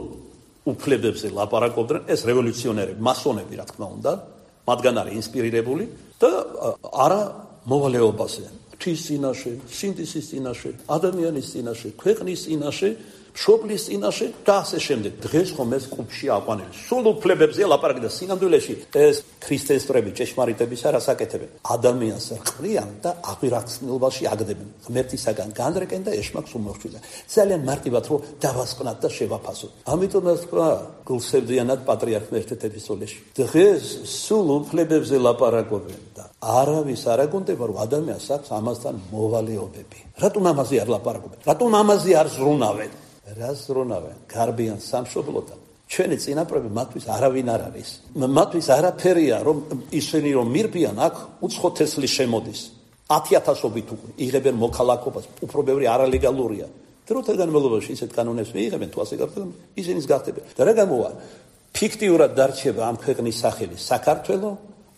უფლებებზე ლაპარაკობდნენ ეს რევოლუციონერები, მასონები, რა თქმა უნდა, მათგან არის ინსპირირებული და არა მოვალეობაზე. ღვთის წინაშე, სინდისის წინაშე, ადამიანის წინაშე, ქვეყნის წინაშე, მშობლის წინაშე და ასე შემდეგ. დღეს ხომ ეს კუბში აყვანილი. სულ უფლებებზე ლაპარაკი და სინამდვილეში ეს ქრისტესწრები ჭეშმარიტების არას აკეთებენ. ადამიანს რყრიან და აღვირახსნილობაში აგდებენ. ღმერთისაგან განრეკენ და ეშმაკს უმორჩილენ. ძალიან მარტივად რომ დავასკვნათ და შევაფასოთ. ამიტომ ეს თქვა გულსევდიანად პატრიარქმა ერთ-ერთ ეპისტოლეში. დღეს სულ უფლებებზე ლაპარაკობენ და არავის არ აგონდება რომ ადამიანს აქვს ამასთან მოვალეობები. რატომ ამაზე არ ლაპარაკობენ? რატომ ამაზე არ ზრუნავენ? რას ზრუნავენ? გარბიან სამშობლოდან. ჩვენი წინაპრები მათთვის არავინ არ არის. მათთვის არაფერია, რომ ისინი რომ მირბიან, აქ უცხო თესლი შემოდის. ათი ათასობით უკვე იღებენ მოქალაქობას, უფრო ბევრი არალეგალურია. დროთა განმავლობაში ისეთ კანონებს მიიღებენ, თუ ასე გახდება, ისინიც გახდებიან. და რა გამოვა? ფიქტიურად დარჩება ამ ქვეყნის სახელი საქართველო,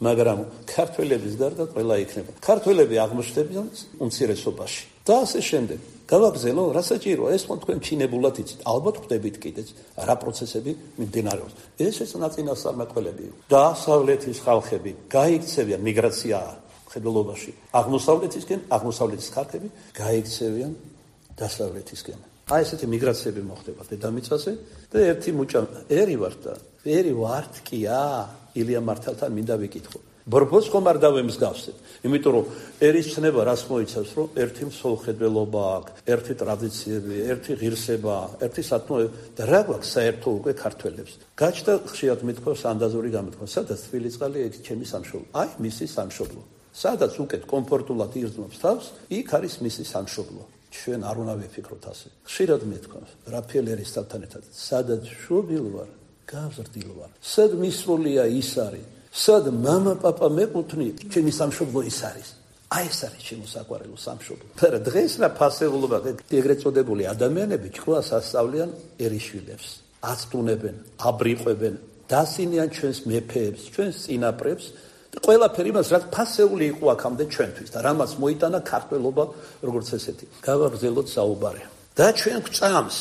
მაგრამ ქართველების გარდა ყველა იქნება. ქართველები აღმოჩნდებიან უმცირესობაში. და ასე შემდეგ. გავაგზელო, რა საჭიროა, ეს თქვენ თქვენ ჩინებულად იცით, ალბათ ხვდებით კიდეც, რა პროცესები მიმდინარეობს. ესეც ნაწინასწარმეტყველები. დასავლეთის ხალხები გაიქცევიან მიგრაცია მხედველობაში. აღმოსავლეთისკენ, აღმოსავლეთის ხალხები გაიქცევიან დასავლეთისკენ. აი ესეთი მიგრაციები მოხდება დედამიწაზე და ერთი მუჭა ერი ვარ და ერი ვართ კია, ილია მართალთან მინდა ვიკითხო. ბორბოს ხომ არ დავემსგავსეთ, იმიტომ რომ ერის ცნება რას მოიცავს, რომ ერთი მსოლხედველობა აქვს, ერთი ტრადიციები, ერთი ღირსება, ერთი სათნოება და რა გვაქვს საერთო უკვე ქართველებს. გაჩნდა ხშირად მithქვას ანდაზური გამოთქვა, სადაც თბილისწყალი ეგ ჩემი სამშობლო. აი მისი სამშობლო. სადაც უკეთ კომფორტულად ირწმობს თავს, იქ არის მისი სამშობლო. ჩვენ არ უნდა ვიფიქროთ ასე. ხშირად მithქვას, რაფაელ ერისთავთან ერთად, სადაც შობილ ვარ, გავზრდილ ვარ. სად მისროლია ის არის. სად მამა პაპა მეკუთვნით, ჩემი სამშობლო ის არის. აი ეს არის ჩემო საყვარელო სამშობლო. მაგრამ დღეს რა ფასეულობა, ეგრეთ წოდებული ადამიანები ჭკუას ასწავლიან ერიშვილებს, აცტუნებენ, აბრიყვებენ, დასინიან ჩვენს მეფეებს, ჩვენს წინაპრებს და ყველაფერი მას რაც ფასეული იყო აქამდე ჩვენთვის და რამაც მოიტანა ქართველობა როგორც ესეთი. გავაგზელოთ საუბარი. და ჩვენ გვწამს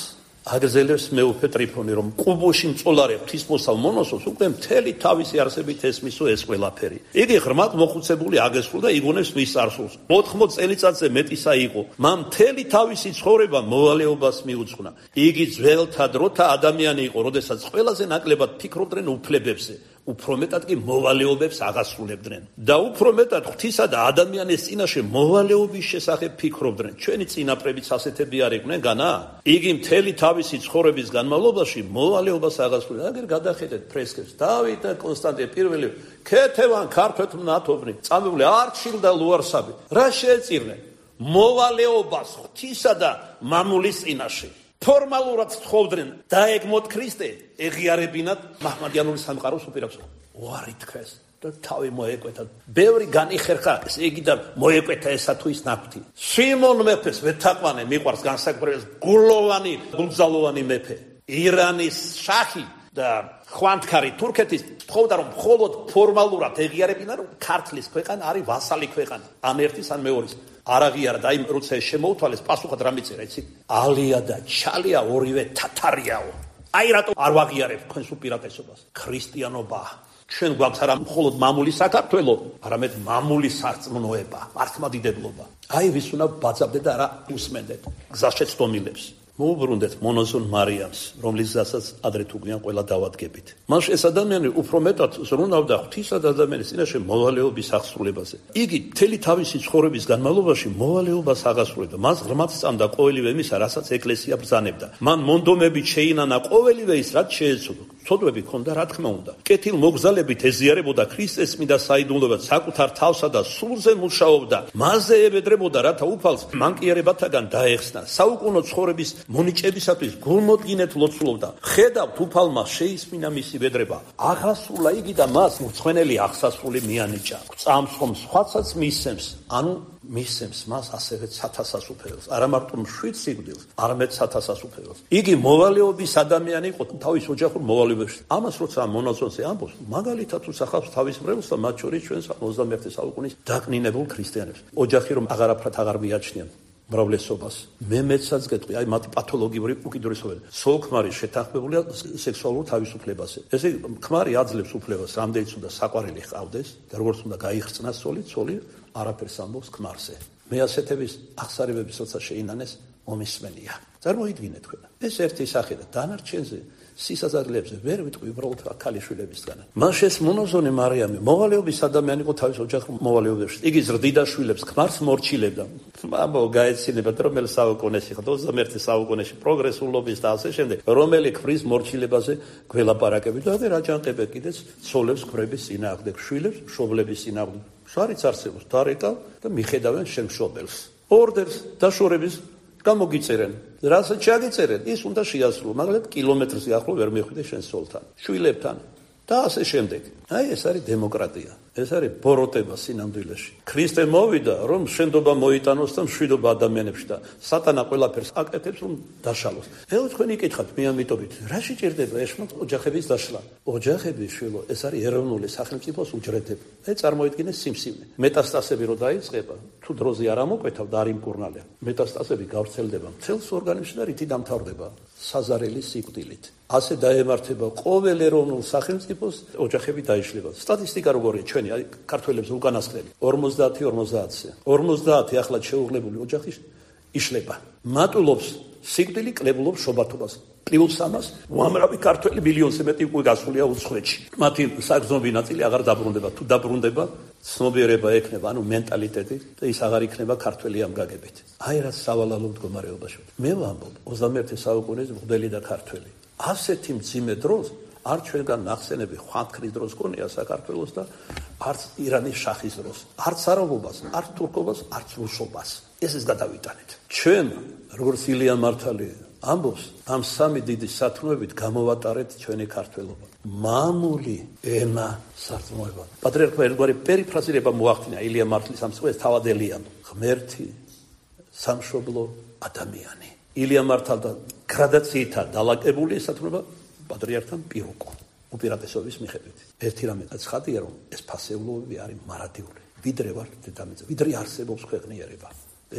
აგრძელებს მეუფე ტრიფონი, რომ ყუბოში მწოლარე ღვთისმოსავ მონოსოს უკვე მთელი თავისი არსებით ესმისო ეს ყველაფერი. იგი ღრმად მოხუცებული აგესრულ და იგონებს მის წარსულს. ოთხმოც წელიწადზე მეტისა იყო. მან მთელი თავისი ცხოვრება მოვალეობას მიუძღვნა. იგი ძველთა დროთა ადამიანი იყო, როდესაც ყველაზე ნაკლებად ფიქრობდნენ უფლებებზე. უფრო მეტად კი მოვალეობებს აღასრულებდნენ და უფრო მეტად ღვთისა და ადამიანის წინაშე მოვალეობის შესახებ ფიქრობდნენ. ჩვენი წინაპრებიც ასეთები არ იყვნენ განა? იგი მთელი თავისი ცხოვრების განმავლობაში მოვალეობას აღასრულებდა. აგერ გადახედეთ ფრესკებს. დავით და კონსტანტინე პირველი ქეთევან ქართველთ მნათობნი, წამებული არჩილ და ლუარსაბი. რა შეეწირნენ? მოვალეობას ღვთისა და მამულის წინაშე. ფორმალურად თხოვდნენ დაეგმოთ ქრისტე, ეღიარებინათ მაჰმადიანური სამყაროს უპირობებს. უარი თქვეს და თავი მოეკვეთა. ბევრი განიხერხა ეს იგი და მოეკვეთა ესა თუ ის ნაკვთი. სიმონ მეფეს ვეთაყვანე მიყვარს განსაკუთრებით გულოვანი, გულგზალოვანი მეფე. ირანის შაჰი და ხვანთქარი თურქეთის თხოვდა რომ მხოლოდ ფორმალურად ეღიარებინა რომ ქართლის ქვეყანა არის ვასალი ქვეყანა. ან ერთის ან მეორის. არაღიარა და იმ როცა შემოუთვალეს პასუხად რა მიწერა იცი? ალია და ჩალია ორივე თათარიაო. აი რატო არ ვაღიარებ თქვენს უპირატესობას? ქრისტიანობა. ჩვენ გვაქვს არა მხოლოდ მამული საქართველო, არამედ მამული სარწმუნოება, მართლმადიდებლობა. აი ვის უნდა ბაძავდეთ და არა უსმენდეთ გზაშეცდომილებს. მოუბრუნდეთ მონოზონ მარიამს, რომლის გზასაც ადრე თუ გვიან ყველა დავადგებით. მას ეს ადამიანი უფრო მეტად ზრუნავდა ღვთისა და ადამიანის წინაშე მოვალეობის აღსრულებაზე. იგი მთელი თავისი ცხოვრების განმავლობაში მოვალეობას აღასრულებდა. მას ღრმად სწამდა ყოველივე იმისა, რასაც ეკლესია ბრძანებდა. მან მონდომებით შეინანა ყოველივე ის, რაც შეეცოდა. ცოდვები ქონდა, რა თქმა უნდა. კეთილ მოგზალებით ეზიარებოდა ქრისტეს წმინდა საიდუმლოებად, საკუთარ თავსა და სულზე მუშაობდა, მასზე ებედრებოდა, რათა უფალს მანკიერებათაგან დაეხსნა. საუკუნო ცხოვრების მონიჭებისათვის გულმოდგინედ ლოცულობდა. ხედავთ, უფალმა შეისმინა მისი ბედრება. აღასრულა იგი და მას მრცხვენელი აღსასრული მიანიჭა. წამს ხომ სხვაცაც მისცემს, ანუ მისცემს მას ასევე სათასას უფეროს. არა მარტო მშვიდ სიკვდილს, არამედ სათასას უფეროს. იგი მოვალეობის ადამიანი იყო თავის ოჯახურ მოვალეობებში. ამას როცა ამ მონაზონზე ამბობს, მაგალითად უსახავს თავის მრევლს და მათ შორის ჩვენს ოცდამეერთე საუკუნის დაკნინებულ ქრისტიანებს. ოჯახი რომ აღარაფრად აღარ მიაჩნიან მრავლესობას. მე მეცაც გეტყვი, აი მათი პათოლოგიური უკიდურესობები. სულ ქმარი შეთანხმებულია სექსუალურ თავისუფლებაზე. ესე ქმარი აძლევს უფლებას, რამდენიც უნდა საყვარელი ჰყავდეს და როგორც უნდა გაიხრწნას ცოლი, ცოლი არაფერს ამბობს ქმარზე. მე ასეთების აღსარებების როცა შეინანეს მომისმენია. წარმოიდგინეთ თქვენ. ეს ერთი სახე და დანარჩენზე სისაზადლებზე ვერ ვიტყვი უბრალოდ ქალიშვილებისგან. მაშეს მონოზონი მარიამი მოვალეობის ადამიანი იყო თავის ოჯახურ მოვალეობებში. იგი ზრდიდა შვილებს ქმარს მორჩილებდა. ამბო გაეცინება რომელი საუკუნეში ხარ ოცდამეერთე საუკუნეში პროგრესულობის და ასე შემდეგ. რომელი ქმრის მორჩილებაზე გველაპარაკები და რაჯანყებე კიდეც ცოლებს ქმრების წინააღმდეგ, შვილებს მშობლების წინააღმდეგ. შარიც არსებობს დარეკა და მიხედავენ შენ მშობელს. ორდერს დაშორების გამოგიწერენ. რასაც ჩაგიწერენ, ის უნდა შეასრულო, მაგრამ კილომეტრზე ახლო ვერ მიხვიდე შენ სოლთან, შვილებთან და ასე შემდეგ. აი ეს არის დემოკრატია. ეს არის ბოროტება სინამდვილეში. ქრისტე მოვიდა, რომ შენდობა მოიტანოს და მშვიდობა ადამიანებში და სატანა ყველაფერს აკეთებს, რომ დაშალოს. ეხლა თქვენ იკითხავთ, მე ამიტომით, რა შეჭირდება ეშმაკ ოჯახების დაშლა? ოჯახები შვილო, ეს არის ეროვნული სახელმწიფოს უჯრედები. აი წარმოიდგინე სიმსივნე. მეტასტაზები რო დაიწყება, თუ დროზე არ ამოკვეთავ და არ იმკურნალია, მეტასტაზები გავრცელდება მთელს ორგანიზმში და რითი დამთავრდება საზარელი სიკვდილით. ასე დაემართება ყოველ ეროვნულ სახელმწიფოს ოჯახები დაიშლება. სტატისტიკა როგორია ჩვენი, აი ქართველებს უკანასკნელი ორმოცდაათი ორმოცდაათზე. ორმოცდაათი ახლა შეუღლებული ოჯახი იშლება. მატულობს სიკვდილი, კლებულობს შობათობას. პლუს ამას უამრავი ქართველი მილიონზე მეტი უკვე გასულია უცხოეთში. მათი საგზნობი ნაწილი აღარ დაბრუნდება. თუ დაბრუნდება, ცნობიერება ექნება, ანუ მენტალიტეტი და ის აღარ იქნება ქართველი ამ გაგებით. აი რა სავალალო მდგომარეობაში. მე ვამბობ, ოცდამეერთე საუკუნის მღვდელი და ქართველი. ასეთი მძიმე დროს არ ჩვენგან ნახსენები ხვანქრის დროს გონია საქართველოს და არც ირანის შახის დროს, არც არაბობას, არც თურქობას, არც რუსობას. ეს ის გადავიტანეთ. ჩვენ, როგორც ილია მართალი ამბობს, ამ სამი დიდი სათნოებით გამოვატარეთ ჩვენი ქართველობა. მამული ენა სარწმუნოება. პატრიარქმა ერთგვარი პერიფრაზირება მოახდინა ილია მართლის ამ სიტყვას თავადელიან. ღმერთი, სამშობლო, ადამიანი. ილია მართალთან გრადაციითა დალაგებული სათნოება პატრიარქთან პირუკო უპირატესობის მიხედვით. ერთი რამე ცხადია, რომ ეს ფასეულობები არის მარადიული. ვიდრე ვარ დედამიწა, ვიდრე არსებობს ქვეყნიერება.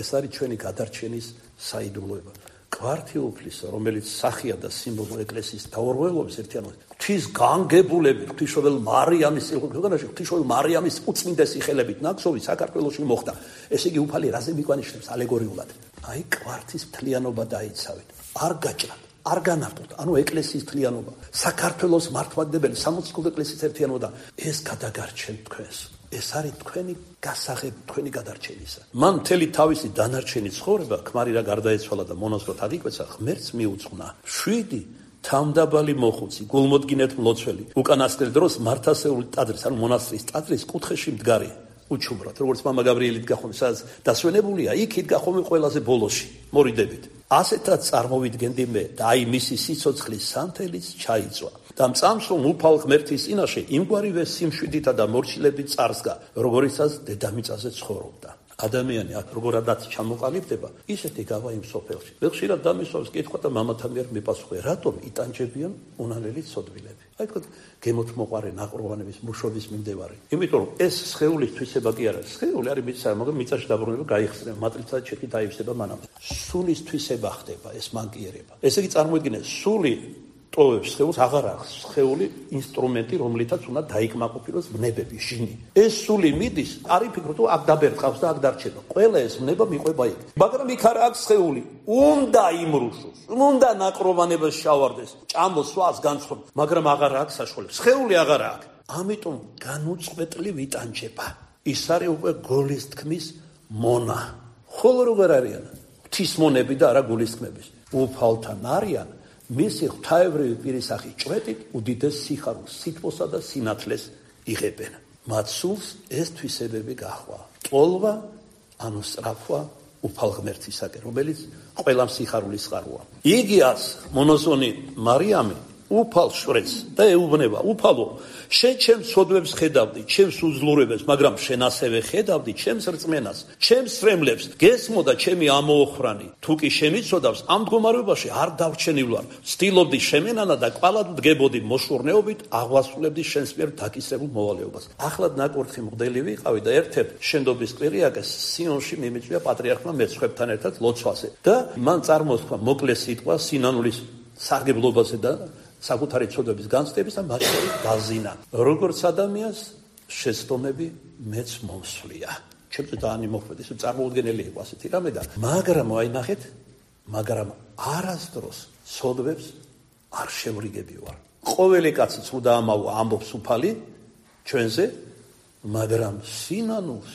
ეს არის ჩვენი გადარჩენის საიდუმლოება. კვართიოფლისა, რომელიც სახია და სიმბოლო ეკლესიის დაურველობის ერთიანობა, ღვთის განგებულები, ღვთისმშობელ მარიამის ქვეყანაში, ღვთისმშობელ მარიამის უწმინდესი ხელებით ნაკსოვი საქართველოში მოხდა. ესე იგი უფალი რაზე მიგვანიშნებს ალეგორიულად? აი კვართის მთლიანობა დაიცავეთ. არ გაჭრათ, არ განარდოთ, ანუ ეკლესიის მთლიანობა, საქართველოს მართლმადიდებელი სამოციქულო ეკლესიის ერთიანობა და ეს გადაგარჩენთ თქვენს. ეს არის თქვენი გასაღები, თქვენი გადარჩენისა. მან მთელი თავისი დანარჩენი ცხოვრება ქმარი რა გარდაეცვალა და მონაზვნად აღიკვეცა, ღმერთს მიუძღვნა. შვიდი თავმდაბალი მოხუცი, გულმოდგინედ მლოცველი, უკანასკნელ დროს მართასეული ტაძრის, ანუ მონასტრის ტაძრის კუთხეში მდგარი. უჩუმრად, როგორც მამა გაბრიელი დგა ხოლმე, სადაც დასვენებულია, იქ იდგა ხოლმე ყველაზე ბოლოში, მორიდებით. ასეთაც წარმოვიდგენდი მე და აი მისი სიცოცხლის სანთელიც ჩაიწვა. და მწამს რომ უფალ ღმერთის წინაშე იმგვარივე სიმშვიდითა და მორჩილებით წარსგა, როგორიცაც დედამიწაზე ცხოვრობდა. ადამიანი აქ როგორადაც ჩამოყალიბდება, ისეთი გავა იმ სოფელში. მე ხშირად დამისვავს კითხვა და მამათან მიერ მიპასუხე, რატომ იტანჯებიან უნანელი ცოდვილები? აი თქვა გემოთ მოყარე ნაყროვანების მუშობის მიმდევარი. იმიტომ რომ ეს სხეულის თვისება კი არა, სხეული არის მიწა, მაგრამ მიწაში დაბრუნება გაიხსნება, მატრიცა ჩეთი დაივსება მანამ. სულის თვისება ხდება ეს მანკიერება. ესე იგი წარმოიდგინე, სული ტოვებს სხეულს, აღარ აქვს სხეული ინსტრუმენტი, რომლითაც უნდა დაიკმაყოფილოს ვნებები, ჟინი. ეს სული მიდის, არ იფიქრო თუ აქ დაბერწყავს და აქ დარჩება. ყველა ეს ვნება მიყვება იქ. მაგრამ იქ არ აქვს სხეული. უნდა იმრუშოს, უნდა ნაკროვანებას შავარდეს, ჭამოს, სვას, განცხროს, მაგრამ აღარ აქვს საშუალება. სხეული აღარ აქვს. ამიტომ განუწყვეტლივ იტანჯება. ის არის უკვე გოლის თქმის მონა. ხოლო როგორ არიან? ღვთისმონები და არა გულისთქმების. უფალთან არიან მისი ღვთაებრივი პირისახის ჭვრეტით უდიდეს სიხარულს, სითბოსა და სინათლეს იღებენ. მათ სულს ეს თვისებები გაჰყვა. ტოლვა, ანუ სწრაფვა უფალ ღმერთისაკენ, რომელიც ყველამ სიხარულის წყაროა. იგიას მონოზონი მარიამი უფალ შვერს და ეუბნება, უფალო, შენ ჩემს სოდვებს ხედავდი, ჩემს უძლურებებს, მაგრამ შენ ასევე ხედავდი ჩემს რწმენას, ჩემს სრემლებს, გესმო და ჩემი ამოოხრანი. თუ კი შემიცოდავს, ამ მდგომარეობაში არ დავრჩენილვარ, ვცდილობდი შემენანა და კვალად ვდგებოდი მოშურნეობით, აღვასრულებდი შენს მიერ დაკისრებულ მოვალეობას. ახლად ნაკურთხი მღვდელი ვიყავი და ერთ-ერთ შენდობის კვირიაკეს სიონში მიმიწვია პატრიარქმა მეცხვებთან ერთად ლოცვაზე და მან წარმოსთქვა მოკლე სიტყვა სინანულის სარგებლობაზე და საკუთარი ცოდვების განცდების და მათ შორის დაზინა. როგორც ადამიანს შეცდომები მეც მომსვლია. ჩემს ძალიან იმოქმედის, წარმოუდგენელი იყო ასეთი რამე და მაგრამ აი ნახეთ, მაგრამ არასდროს ცოდვებს არ შევრიგები ვარ. ყოველი კაცი ცუდა ამავა ამბობს უფალი ჩვენზე, მაგრამ სინანულს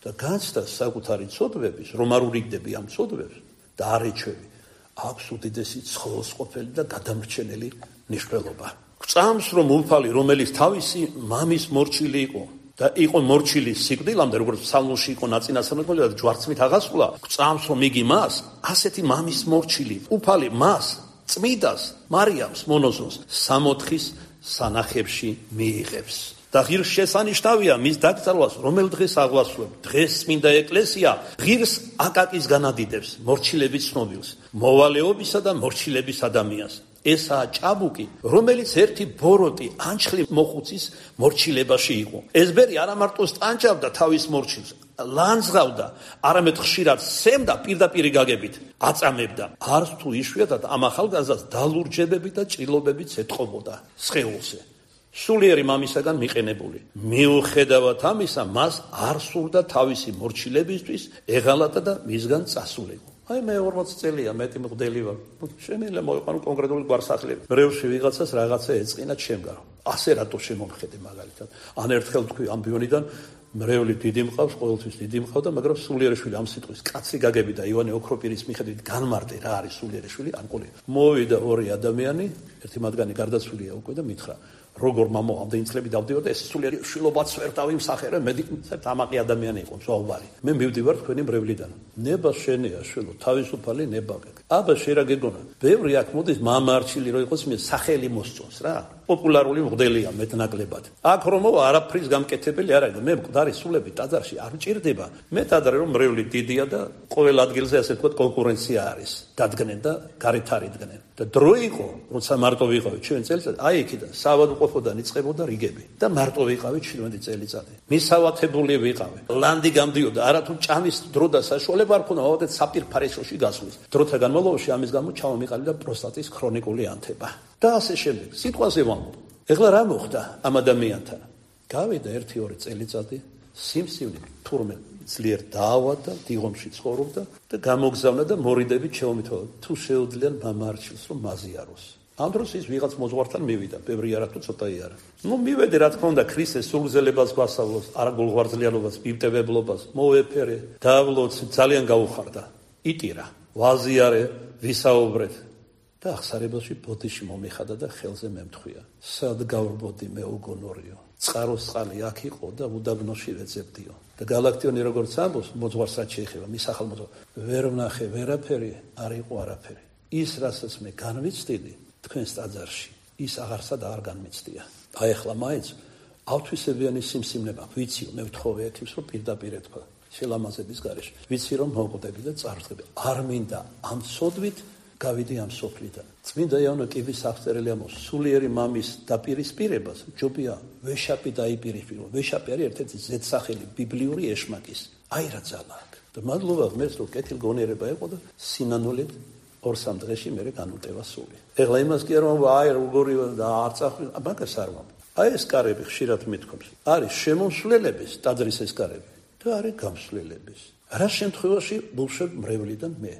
და განცდას საკუთარი ცოდვების, რომ არ ურიგდები ამ ცოდვებს და არ ეჩვევი, აქვს უდიდესი ცხოველსყოფელი და გადამრჩენელი ნიშნულობა. გვწამს რომ უფალი, რომელიც თავისი მამის მორჩილი იყო და იყო მორჩილი სიკვდილამდე, როგორც ფსალმოში იყო ნაწინასწარმეტყველება და ჯვარცმით აღასრულა, გვწამს რომ იგი მას, ასეთი მამის მორჩილი, უფალი მას, წმიდას, მარიამს, მონოზონს, სამოთხის სანახებში მიიღებს. და ღირს შესანიშნავია მის დაკრძალვას, რომელ დღეს აღვასრულებ. დღეს წმინდა ეკლესია ღირს აკაკის განადიდებს, მორჩილების ცნობილს, მოვალეობისა და მორჩილების ადამიანს. ესაა ჭაბუკი, რომელიც ერთი ბოროტი ანჩხლი მოხუცის მორჩილებაში იყო. ეს ბერი არა მარტო სტანჯავდა თავის მორჩილს, ლანძღავდა, არამედ ხშირად სემდა პირდაპირი გაგებით, აწამებდა. არც თუ იშვიათად ამ ახალგაზრდას დალურჯებები და ჭრილობებიც ეტყობოდა სხეულზე. სულიერი მამისაგან მიყენებული. მიუხედავად ამისა, მას არ სურდა თავისი მორჩილებისთვის ეღალატა და მისგან წასულიყო. აი მე ორმოცი წელია მეტი მღვდელი ვარ. შემიძლია მოიყვანო კონკრეტული გვარსახლები. მრევლში ვიღაცას რაღაცა ეწყინა ჩემგან. ასე რატო შემომხედე მაგალითად. ან ერთხელ თქვი ამბიონიდან მრევლი დიდი მყავს, ყოველთვის დიდი მყავდა, მაგრამ სულიერეშვილი ამ სიტყვის კაცი გაგები და ივანე ოქროპირის მიხედვით განმარტე რა არის სულიერეშვილი, ან ყოლი. მოვიდა ორი ადამიანი, ერთი მათგანი გარდაცვლილია უკვე და მითხრა როგორ მამო ამდენი წლები დავდივარ და ეს სულიერი შვილობაც ვერ დავიმსახერე, მე დამაყი ადამიანი იყო, ზვავარი. მე მივდივარ თქვენი მრევლიდან. ნება შენია შვილო, თავისუფალი ნება გეკ. აბა შენ რა გეგონა? ბევრი აქ მოდის მამარჩილი რო იყოს, მე სახელი მოსწონს რა. პოპულარული მღვდელია მეტნაკლებად. აქ რომ მოვა არაფრის გამკეთებელი არ არის. მე მკვდარი სულები ტაძარში არ მჭირდება. მე ტაძარი რომ მრევლი დიდია და ყოველ ადგილზე ასე ვთქვათ კონკურენცია არის. დადგნენ და გარეთ არიდგნენ. და დრო იყო, როცა მარტო ვიყავით ჩვენ წელიწად, აი იქიდან საავადმყოფოდან იწყებოდა რიგები და მარტო ვიყავით შვიდმეტი წელიწადი. მისავათებული ვიყავი. ლანდი გამდიოდა, არათუ ჭამის დრო და საშუალება არ ქონდა, ავადეთ საპირფარეშოში გასვლის. დროთა განმავლობაში ამის გამო ჩამომიყალიბდა პროსტატის ქრონიკული ანთება. და ასე შემდეგ. სიტყვაზე ვამბობ. ეხლა რა მოხდა ამ ადამიანთან? გავიდა ერთი ორი წელიწადი, სიმსივნე თურმე ძლიერ დაავადდა, დიღომში ცხოვრობდა და გამოგზავნა და მორიდებით შეომითხოვა თუ შეუძლიან მამარჩილს რომ მაზიაროს. ამ დროს ის ვიღაც მოძღვართან მივიდა, ბევრი არა თუ ცოტაი არა. ნუ მივედი რა თქმა უნდა ქრისტეს სულგზელებას გვასწავლოს, არა გულღვარძლიანობას, მივტევებლობას, მოეფერე, დავლოცი, ძალიან გაუხარდა. იტირა, ვაზიარე, ვისაუბრეთ. და ახსარებელში ბოდიში მომიხადა და ხელზე მემთხვია. სად გავრბოდი მე უგონორიო. წყაროს წყალი აქ იყო და უდაბნოში ვეძებდიო. და გალაქტიონი როგორც ამბობს, მოძღვარს რაც შეეხება, მის ახალმოძღვარ, ვერ ვნახე ვერაფერი, არ იყო არაფერი. ის, რასაც მე განვიცდიდი თქვენს ტაძარში, ის აღარსა და არ განმიცდია. აი ახლა მაინც ავთვისებიანი სიმსივნება ვიციო, მე ვთხოვე ეთივს, რომ პირდაპირ ეთქვა შელამაზების გარეშე. ვიცი რომ მოვკვდები და წარვდგები. არ მინდა ამ ცოდვით გავიდი ამ სოფლიდან. წმინდა იოანე კიბის აღწერილი ამბობს, სულიერი მამის დაპირისპირებას ჯობია ვეშაპი დაიპირისპირო. ვეშაპი არის ერთ-ერთი ზედსახელი ბიბლიური ეშმაკის. აი რა ძალა აქვს. და მადლობა ღმერთს, რომ კეთილგონიერება იყო და სინანულით ორ-სამ დღეში მერე განუტევა სული. ეხლა იმას კი არ ვამბობ, აი როგორი და არ წახვი, მაგას არ ვამბობ. აი ეს კარები ხშირად მithქვებს. არის შემოსვლელების ტაძრის ეს კარები და არის გამსვლელების. რა შემთხვევაში ბულშებ მრევლიდან მე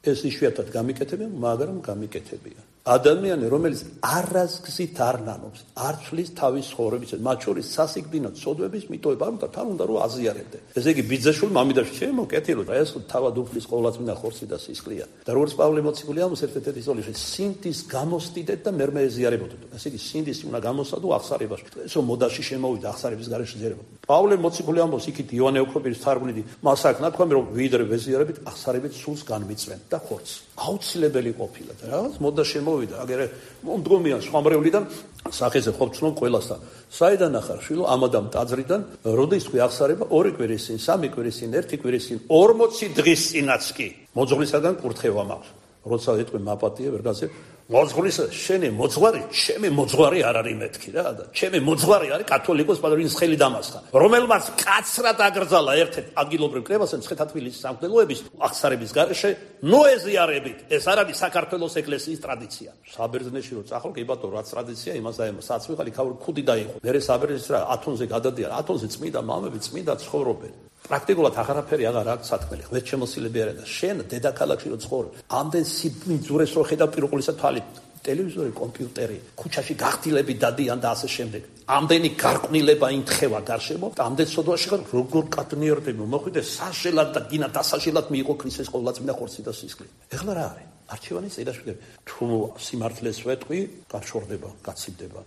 ეს იშვიათად გამიკეთებია, მაგრამ გამიკეთებია. ადამიანი, რომელიც არასგზით არ ნანობს, არ ცვლის თავის ცხოვრების, მათ შორის სასიკვდინო ცოდვების მიტოვება, და თან უნდა რომ აზიარებდე. ესე იგი, ბიძაშვილი მამიდაში შემოკეთილო, და ეს თავად უფლის ყოვლადწმინდა ხორცი და სისხლია. და როგორც პავლე მოციქული ამბობს ერთ-ერთ ისოლიაში, სინდის გამოსდიდეთ და მერმე ეზიარებოდეთ. ესე იგი, სინდის უნდა გამოსადო აღსარებაში. ესო მოდაში შემოვიდა აღსარების გარეშე ზიარება. პავლე მოციქული ამბობს იქით იოანე ოქროპირის თარგმნით, მას აქ ნათქვამი რომ ვიდრე ვეზიარებით, აღსარებით სულს განმიწვენ და ხორცს. აუცილებელი ყოფილა და რაღაც მოდა შემოვიდა, აგერე მომდგომიან სხვამრევლიდან სახეზე ყოფცნო ყველასა. საიდან ახარ შვილო ამადამ ტაძრიდან, როდის თქვი აღსარება ორი კვირის წინ, სამი კვირის წინ, ერთი კვირის წინ, ორმოცი დღის წინაც კი. მოძღვრისაგან კურთხევა მაქვს. როცა ეთქვი მაპატია ვერ გასცე მოძღვრისა შენი მოძღვარი, ჩემი მოძღვარი არ არის მეთქი რა და ჩემი მოძღვარი არის კათოლიკოს პატრონის ხელი დამასხა, რომელმაც კაცრად აკრძალა ერთ-ერთ ადგილობრივ კრებასთან მცხეთა-თბილისის სამღვდელოების აღსარების გარეშე ნოეზიარებით. ეს არ არის საქართველოს ეკლესიის ტრადიცია. საბერძნეთში რო წახვალ, კი ბატონო, რაც ტრადიცია, იმას აემო საცვიღალი ქავრი ხუდი დაიყო. მერე საბერძნეთში რა ათონზე გადადიან, ათონზე წმიდა მამები, წმიდა ცხოვრობენ. პრაქტიკულად აღარაფერი აღარ აქვს სათქმელი. ღმერთშემოსილები არა და შენ დედაქალაქში რო ცხოვრობ, ამდენ სიბიძურეს რო ხედავ პირუყლისა თვალით, ტელევიზორი, კომპიუტერი, ქუჩაში გახდილები დადიან და ასე შემდეგ. ამდენი გარყვნილება ინთხევა გარშემო, ამდენ სოდვაში ხარ როგორ კატნიერდები, მოხვიდე საშელად და გინა დასაშელად მიიღო ქრისტეს ყოვლადწმინდა ხორცი და სისხლი. ეხლა რა არის? არჩევანის წინაშე თუ სიმართლეს ვეტყვი, გაშორდება, გაცივდება.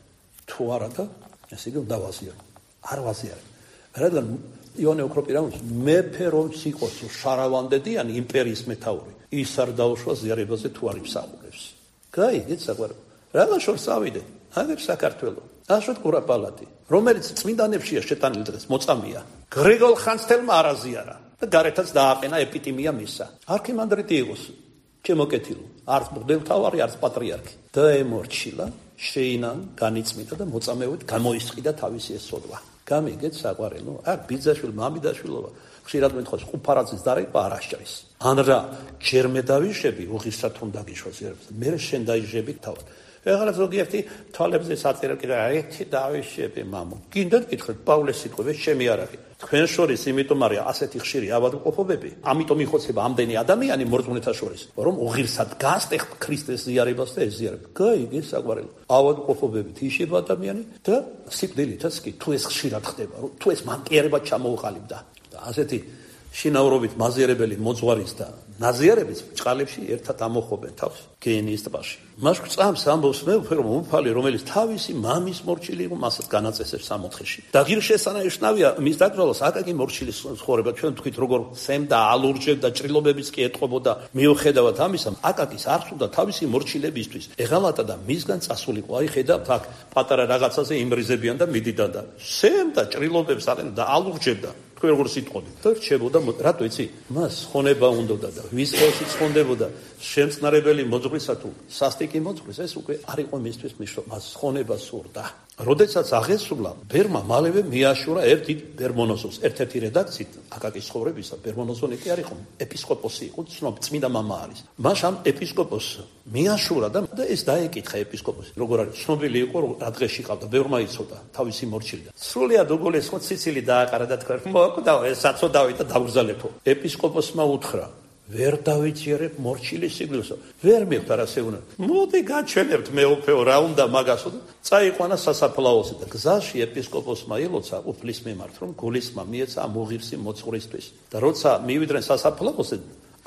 თუ არა და ესე იგი უნდა ვაზიარო. არ ვაზიარო. რადგან იოანე ოქროპირამის მეფე რომც იყოს შარავანდედიანი იმპერიის მეთაური, ის არ დაუშვა ზიარებაზე თუ არ იმსახურებს. გაიგეთ საყვარელო. რა შორს ავიდეთ? აგერ საქართველო. აშოთ კურაპალატი, რომელიც წმინდანებშია შეტანილი დღეს მოწამია. გრიგოლ ხანძთელმა არ აზიარა და გარეთაც დააყენა ეპიტიმია მისა. არქიმანდრიტი იყოს ჩემოკეთილო, არც მღვდელმთავარი, არც პატრიარქი. დაემორჩილა, შეინან, განიწმინდა და მოწამეობით გამოისყიდა თავისი ეს სოდვა. გამიგეთ საყვარელო, აქ ბიძაშვილი მამიდაშვილობა ხშირად მეთხოვს ყუფარაძის დარეკვა არ აღჭრის. ან რა ჯერ მე დავიშვები უღირსად უნდა გიშვას ერებს. მე შენ დაიჟები თავად. ეხლა ზოგიერთი თვალებზე საწერა კიდე ერთი დავიშვები მამო. გინდათ გითხრათ პავლეს სიტყვები ჩემი არ არის. თქვენ შორის იმიტომ არის ასეთი ხშირი ავადმყოფობები, ამიტომ იხოცება ამდენი ადამიანი მორწმუნეთა შორის, რომ უღირსად გასტეხ ქრისტეს ზიარებას და ეზიარება. გაიგე საყვარელო. ავადმყოფობებით იშება ადამიანი და სიკვდილითაც კი თუ ეს ხშირად ხდება, რომ თუ ეს მანკიერება ჩამოუყალიბდა. და ასეთი შინაურობით მაზიარებელი მოძღვარის და ნაზიარების ჭყალებში ერთად ამოხობენ თავს გენის ტბაში. მას გწამს ამბობს მეუფე რომ უფალი რომელიც თავისი მამის მორჩილი იყო მასაც განაწესებს სამოთხეში. და ღირსშესანიშნავია მის დაკრძალვას აკაკი მორჩილის ცხოვრება ჩვენ თქვით როგორ სემდა ალურჯებდა ჭრილობებიც კი ეტყობოდა მიუხედავად ამისა აკაკის არ სურდა თავისი მორჩილებისთვის ეღალატა და მისგან წასულიყო. აი ხედავთ აქ პატარა რაღაცაზე იმრიზებიან და მიდიდან და სემდა ჭრილობებს აყენდა და ალურჯებდა. თქვენ როგორ სიტყოდით და რჩებოდა რატო იცი მას ხონება უნდოდა და ვის ხელში ცხონდებოდა შემწნარებელი მოძღვრისა თუ სასტიკი მოძღვრის ეს უკვე არ იყო მისთვის მიშო მას ხონება სურდა. როდესაც აღესრულა ბერმა მალევე მიაშურა ერთი ბერმონოსოს ერთ-ერთი რედაქციით აკაკის ცხოვრებისა ბერმონოსონი კი არ იყო ეპისკოპოსი იყო ცნობ წმინდა მამა არის. მას ამ ეპისკოპოსს მიაშურა და ეს დაეკითხა ეპისკოპოსი როგორ არის ცნობილი იყო რა დღეში ყავდა ბევრმა იცოდა თავისი მორჩილი და სრულიად უგოლეს ხო ციცილი დააყარა და თქვა მოკდა ეს საწოდავი და დაგრძალებო. ეპისკოპოსმა უთხრა ვერ დავიჭერებ მორჩილის სიკვდილსო. ვერ მივხვდა რა შეუნა. მოდი გაჩვენებთ მეუფეო რა უნდა მაგასო და წაიყვანა სასაფლაოზე და გზაში ეპისკოპოსმა ელოცა უფლის მიმართ რომ გულისმა მიეცა ამ უღირსი მოძღვრისთვის. და როცა მივიდნენ სასაფლაოზე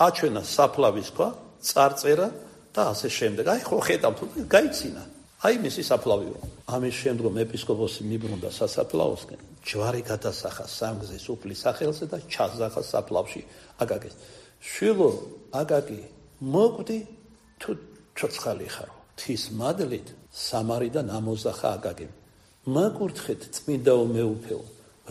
აჩვენა საფლავის ქვა, წარწერა და ასე შემდეგ. აი ხო ხედავთ გაიცინა. აი მისი საფლავიო. ამის შემდგომ ეპისკოპოსი მიბრუნდა სასაფლაოსკენ, ჯვარი გადასახა სამგზის უფლის სახელზე და ჩაზახა საფლავში აკაკის. შვილო აკაკი მოკვდი თუ ჩოცხალი ხარო თის მადლით სამარიდან ამოზახა აკაკი. მაკურთხეთ წმინდაო მეუფეო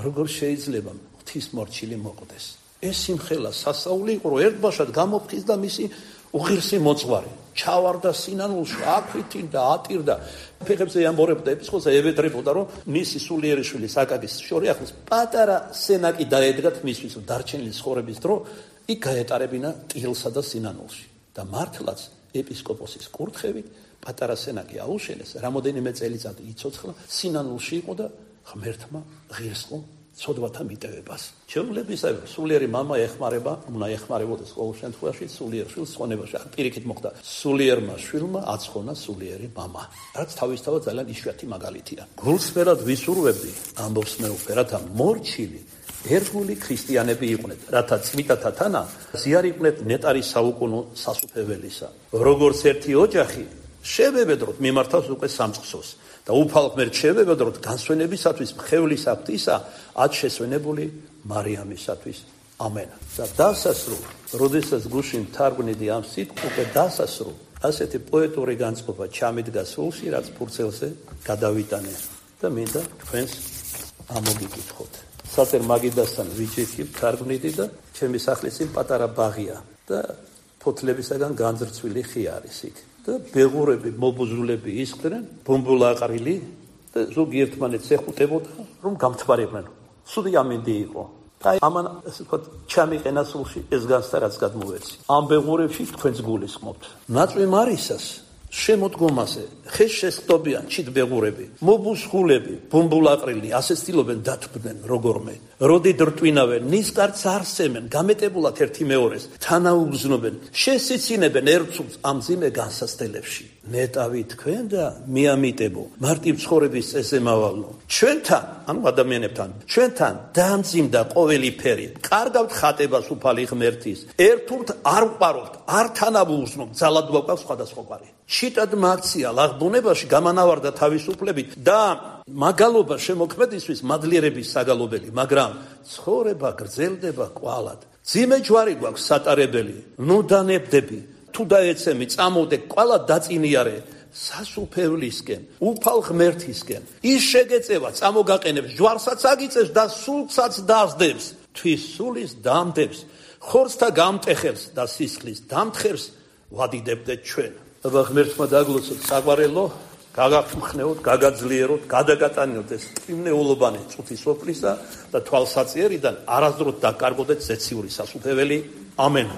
როგორ შეიძლება ღვთის მორჩილი მოკვდეს. ეს სიმხელა სასაული იყო რომ ერთბაშად გამოფხიზ და მისი უღირსი მოძღვარი ჩავარდა სინანულში აქვითინდა ატირდა ფეხებზე ამბორებდა ეპისკოპოსი ევედრებოდა რომ მისი სულიერი შვილი აკაკის შორი ახლოს პატარა სენაკი დაედგათ მისთვის დარჩენილი ცხოვრების დრო იქ გაეტარებინა ტილსა და სინანულში და მართლაც ეპისკოპოსის კურთხევით პატარა სენაკი აუშენეს რამოდენიმე წელიწადი იცოცხლა სინანულში იყო და ღმერთმა ღირსყო ცოდვათა მიტევებას. ჩვეულებისა სულიერი მამა ეხმარება, უნდა ეხმარებოდეს ყოველ შემთხვევაში სულიერ შვილს ხონებაში. არ პირიქით მოხდა სულიერმა შვილმა აცხონა სულიერი მამა. რაც თავისთავად ძალიან იშვიათი მაგალითია. გულსფერად ვისურვებდი, ამბობს მეუფე, რათა მორჩილი ერთგული ქრისტიანები იყვნენ, რათა წმიდათა თანა ზიარიყვნენ ნეტარის საუკუნო სასუფეველისა. როგორც ერთი ოჯახი შევებედროთ მიმართავს უკვე სამწყსოს და უფალ ღმერთ შევებედროთ განსვენებისათვის მხევლის აქტისა ად შესვენებული მარიამისათვის. ამენ. და დასასრულ, როდესაც გუშინ მთარგმნიდი ამ სიტყვას, უკვე დასასრულ ასეთი პოეტური განწყობა ჩამიდგა სულში, რაც ფურცელზე გადავიტანე და მინდა თქვენს ამოგიკითხოთ. საწერ მაგიდასთან ვიჯექი მთარგმნიდი და ჩემი სახლის წინ პატარა ბაღია და ფოთლებისაგან განძრცვილი ხე არის იქ. და ბეღურები, მობუზულები ისხდნენ, ბუმბულაყრილი და ზოგი ერთმანეთს ეხუტებოდა, რომ გამთბარებდნენ. სუდი ამინდი იყო. და ამან ასე ვთქვათ, ჩამიყენა სულში ეს განცდა, რაც გადმოვეცი. ამ ბეღურებში თქვენს გულისხმობთ. ნაწვი მარისას შემოდგომაზე ხეს შესხდობიან ჩით ბეღურები, მობუსხულები, ბუმბულაყრილი, ასე ცდილობენ დათბდნენ როგორმე. როდი დრტვინავენ, ნისკარტს არსემენ, გამეტებულად ერთი მეორეს, თანაუგზნობენ, შესიცინებენ ერთს ამ ძიმე განსასწელებში. ნეტავი თქვენ და მიამიტებო, მარტივ ცხოვრების წესზე მავალო. ჩვენთან, ანუ ადამიანებთან, ჩვენთან დაამძიმდა ყოველი ფერი. კარგავთ ხატებას უფალი ღმერთის. ერთურთ არ ვყარობთ, არ თანაუგზნობთ, ძალად გვაქვს სხვადასხვაგვარი. შიტად მაქცია ლაღბუნებაში გამანავარდა თავისუფლებით და მაგალობა შემოქმედისთვის მადლიერების საგალობელი, მაგრამ ცხოვრება გრძელდება კვალად. ძიმე ჯვარი გვაქვს სატარებელი, ნუ დანებდები, თუ დაეცემი წამოვდე კვალად დაწინიარე სასუფევლისკენ, უფალ ღმერთისკენ. ის შეგეწევა, წამოგაყენებს, ჯვარსაც აგიწევს და სულსაც დასდებს, თვის სულის დამდებს, ხორცთა გამტეხებს და სისხლის დამთხევს ვადიდებდეთ ჩვენ. აბა ღმერთმა დაგლოცოთ საყვარელო, გაგახმხნეოთ, გაგაძლიეროთ, გადაგატანოთ ეს წვიმნეულობანი წუთის სოფლისა და თვალსაწიერიდან არასდროს დაკარგოთ ზეციური სასუფეველი. ამენ.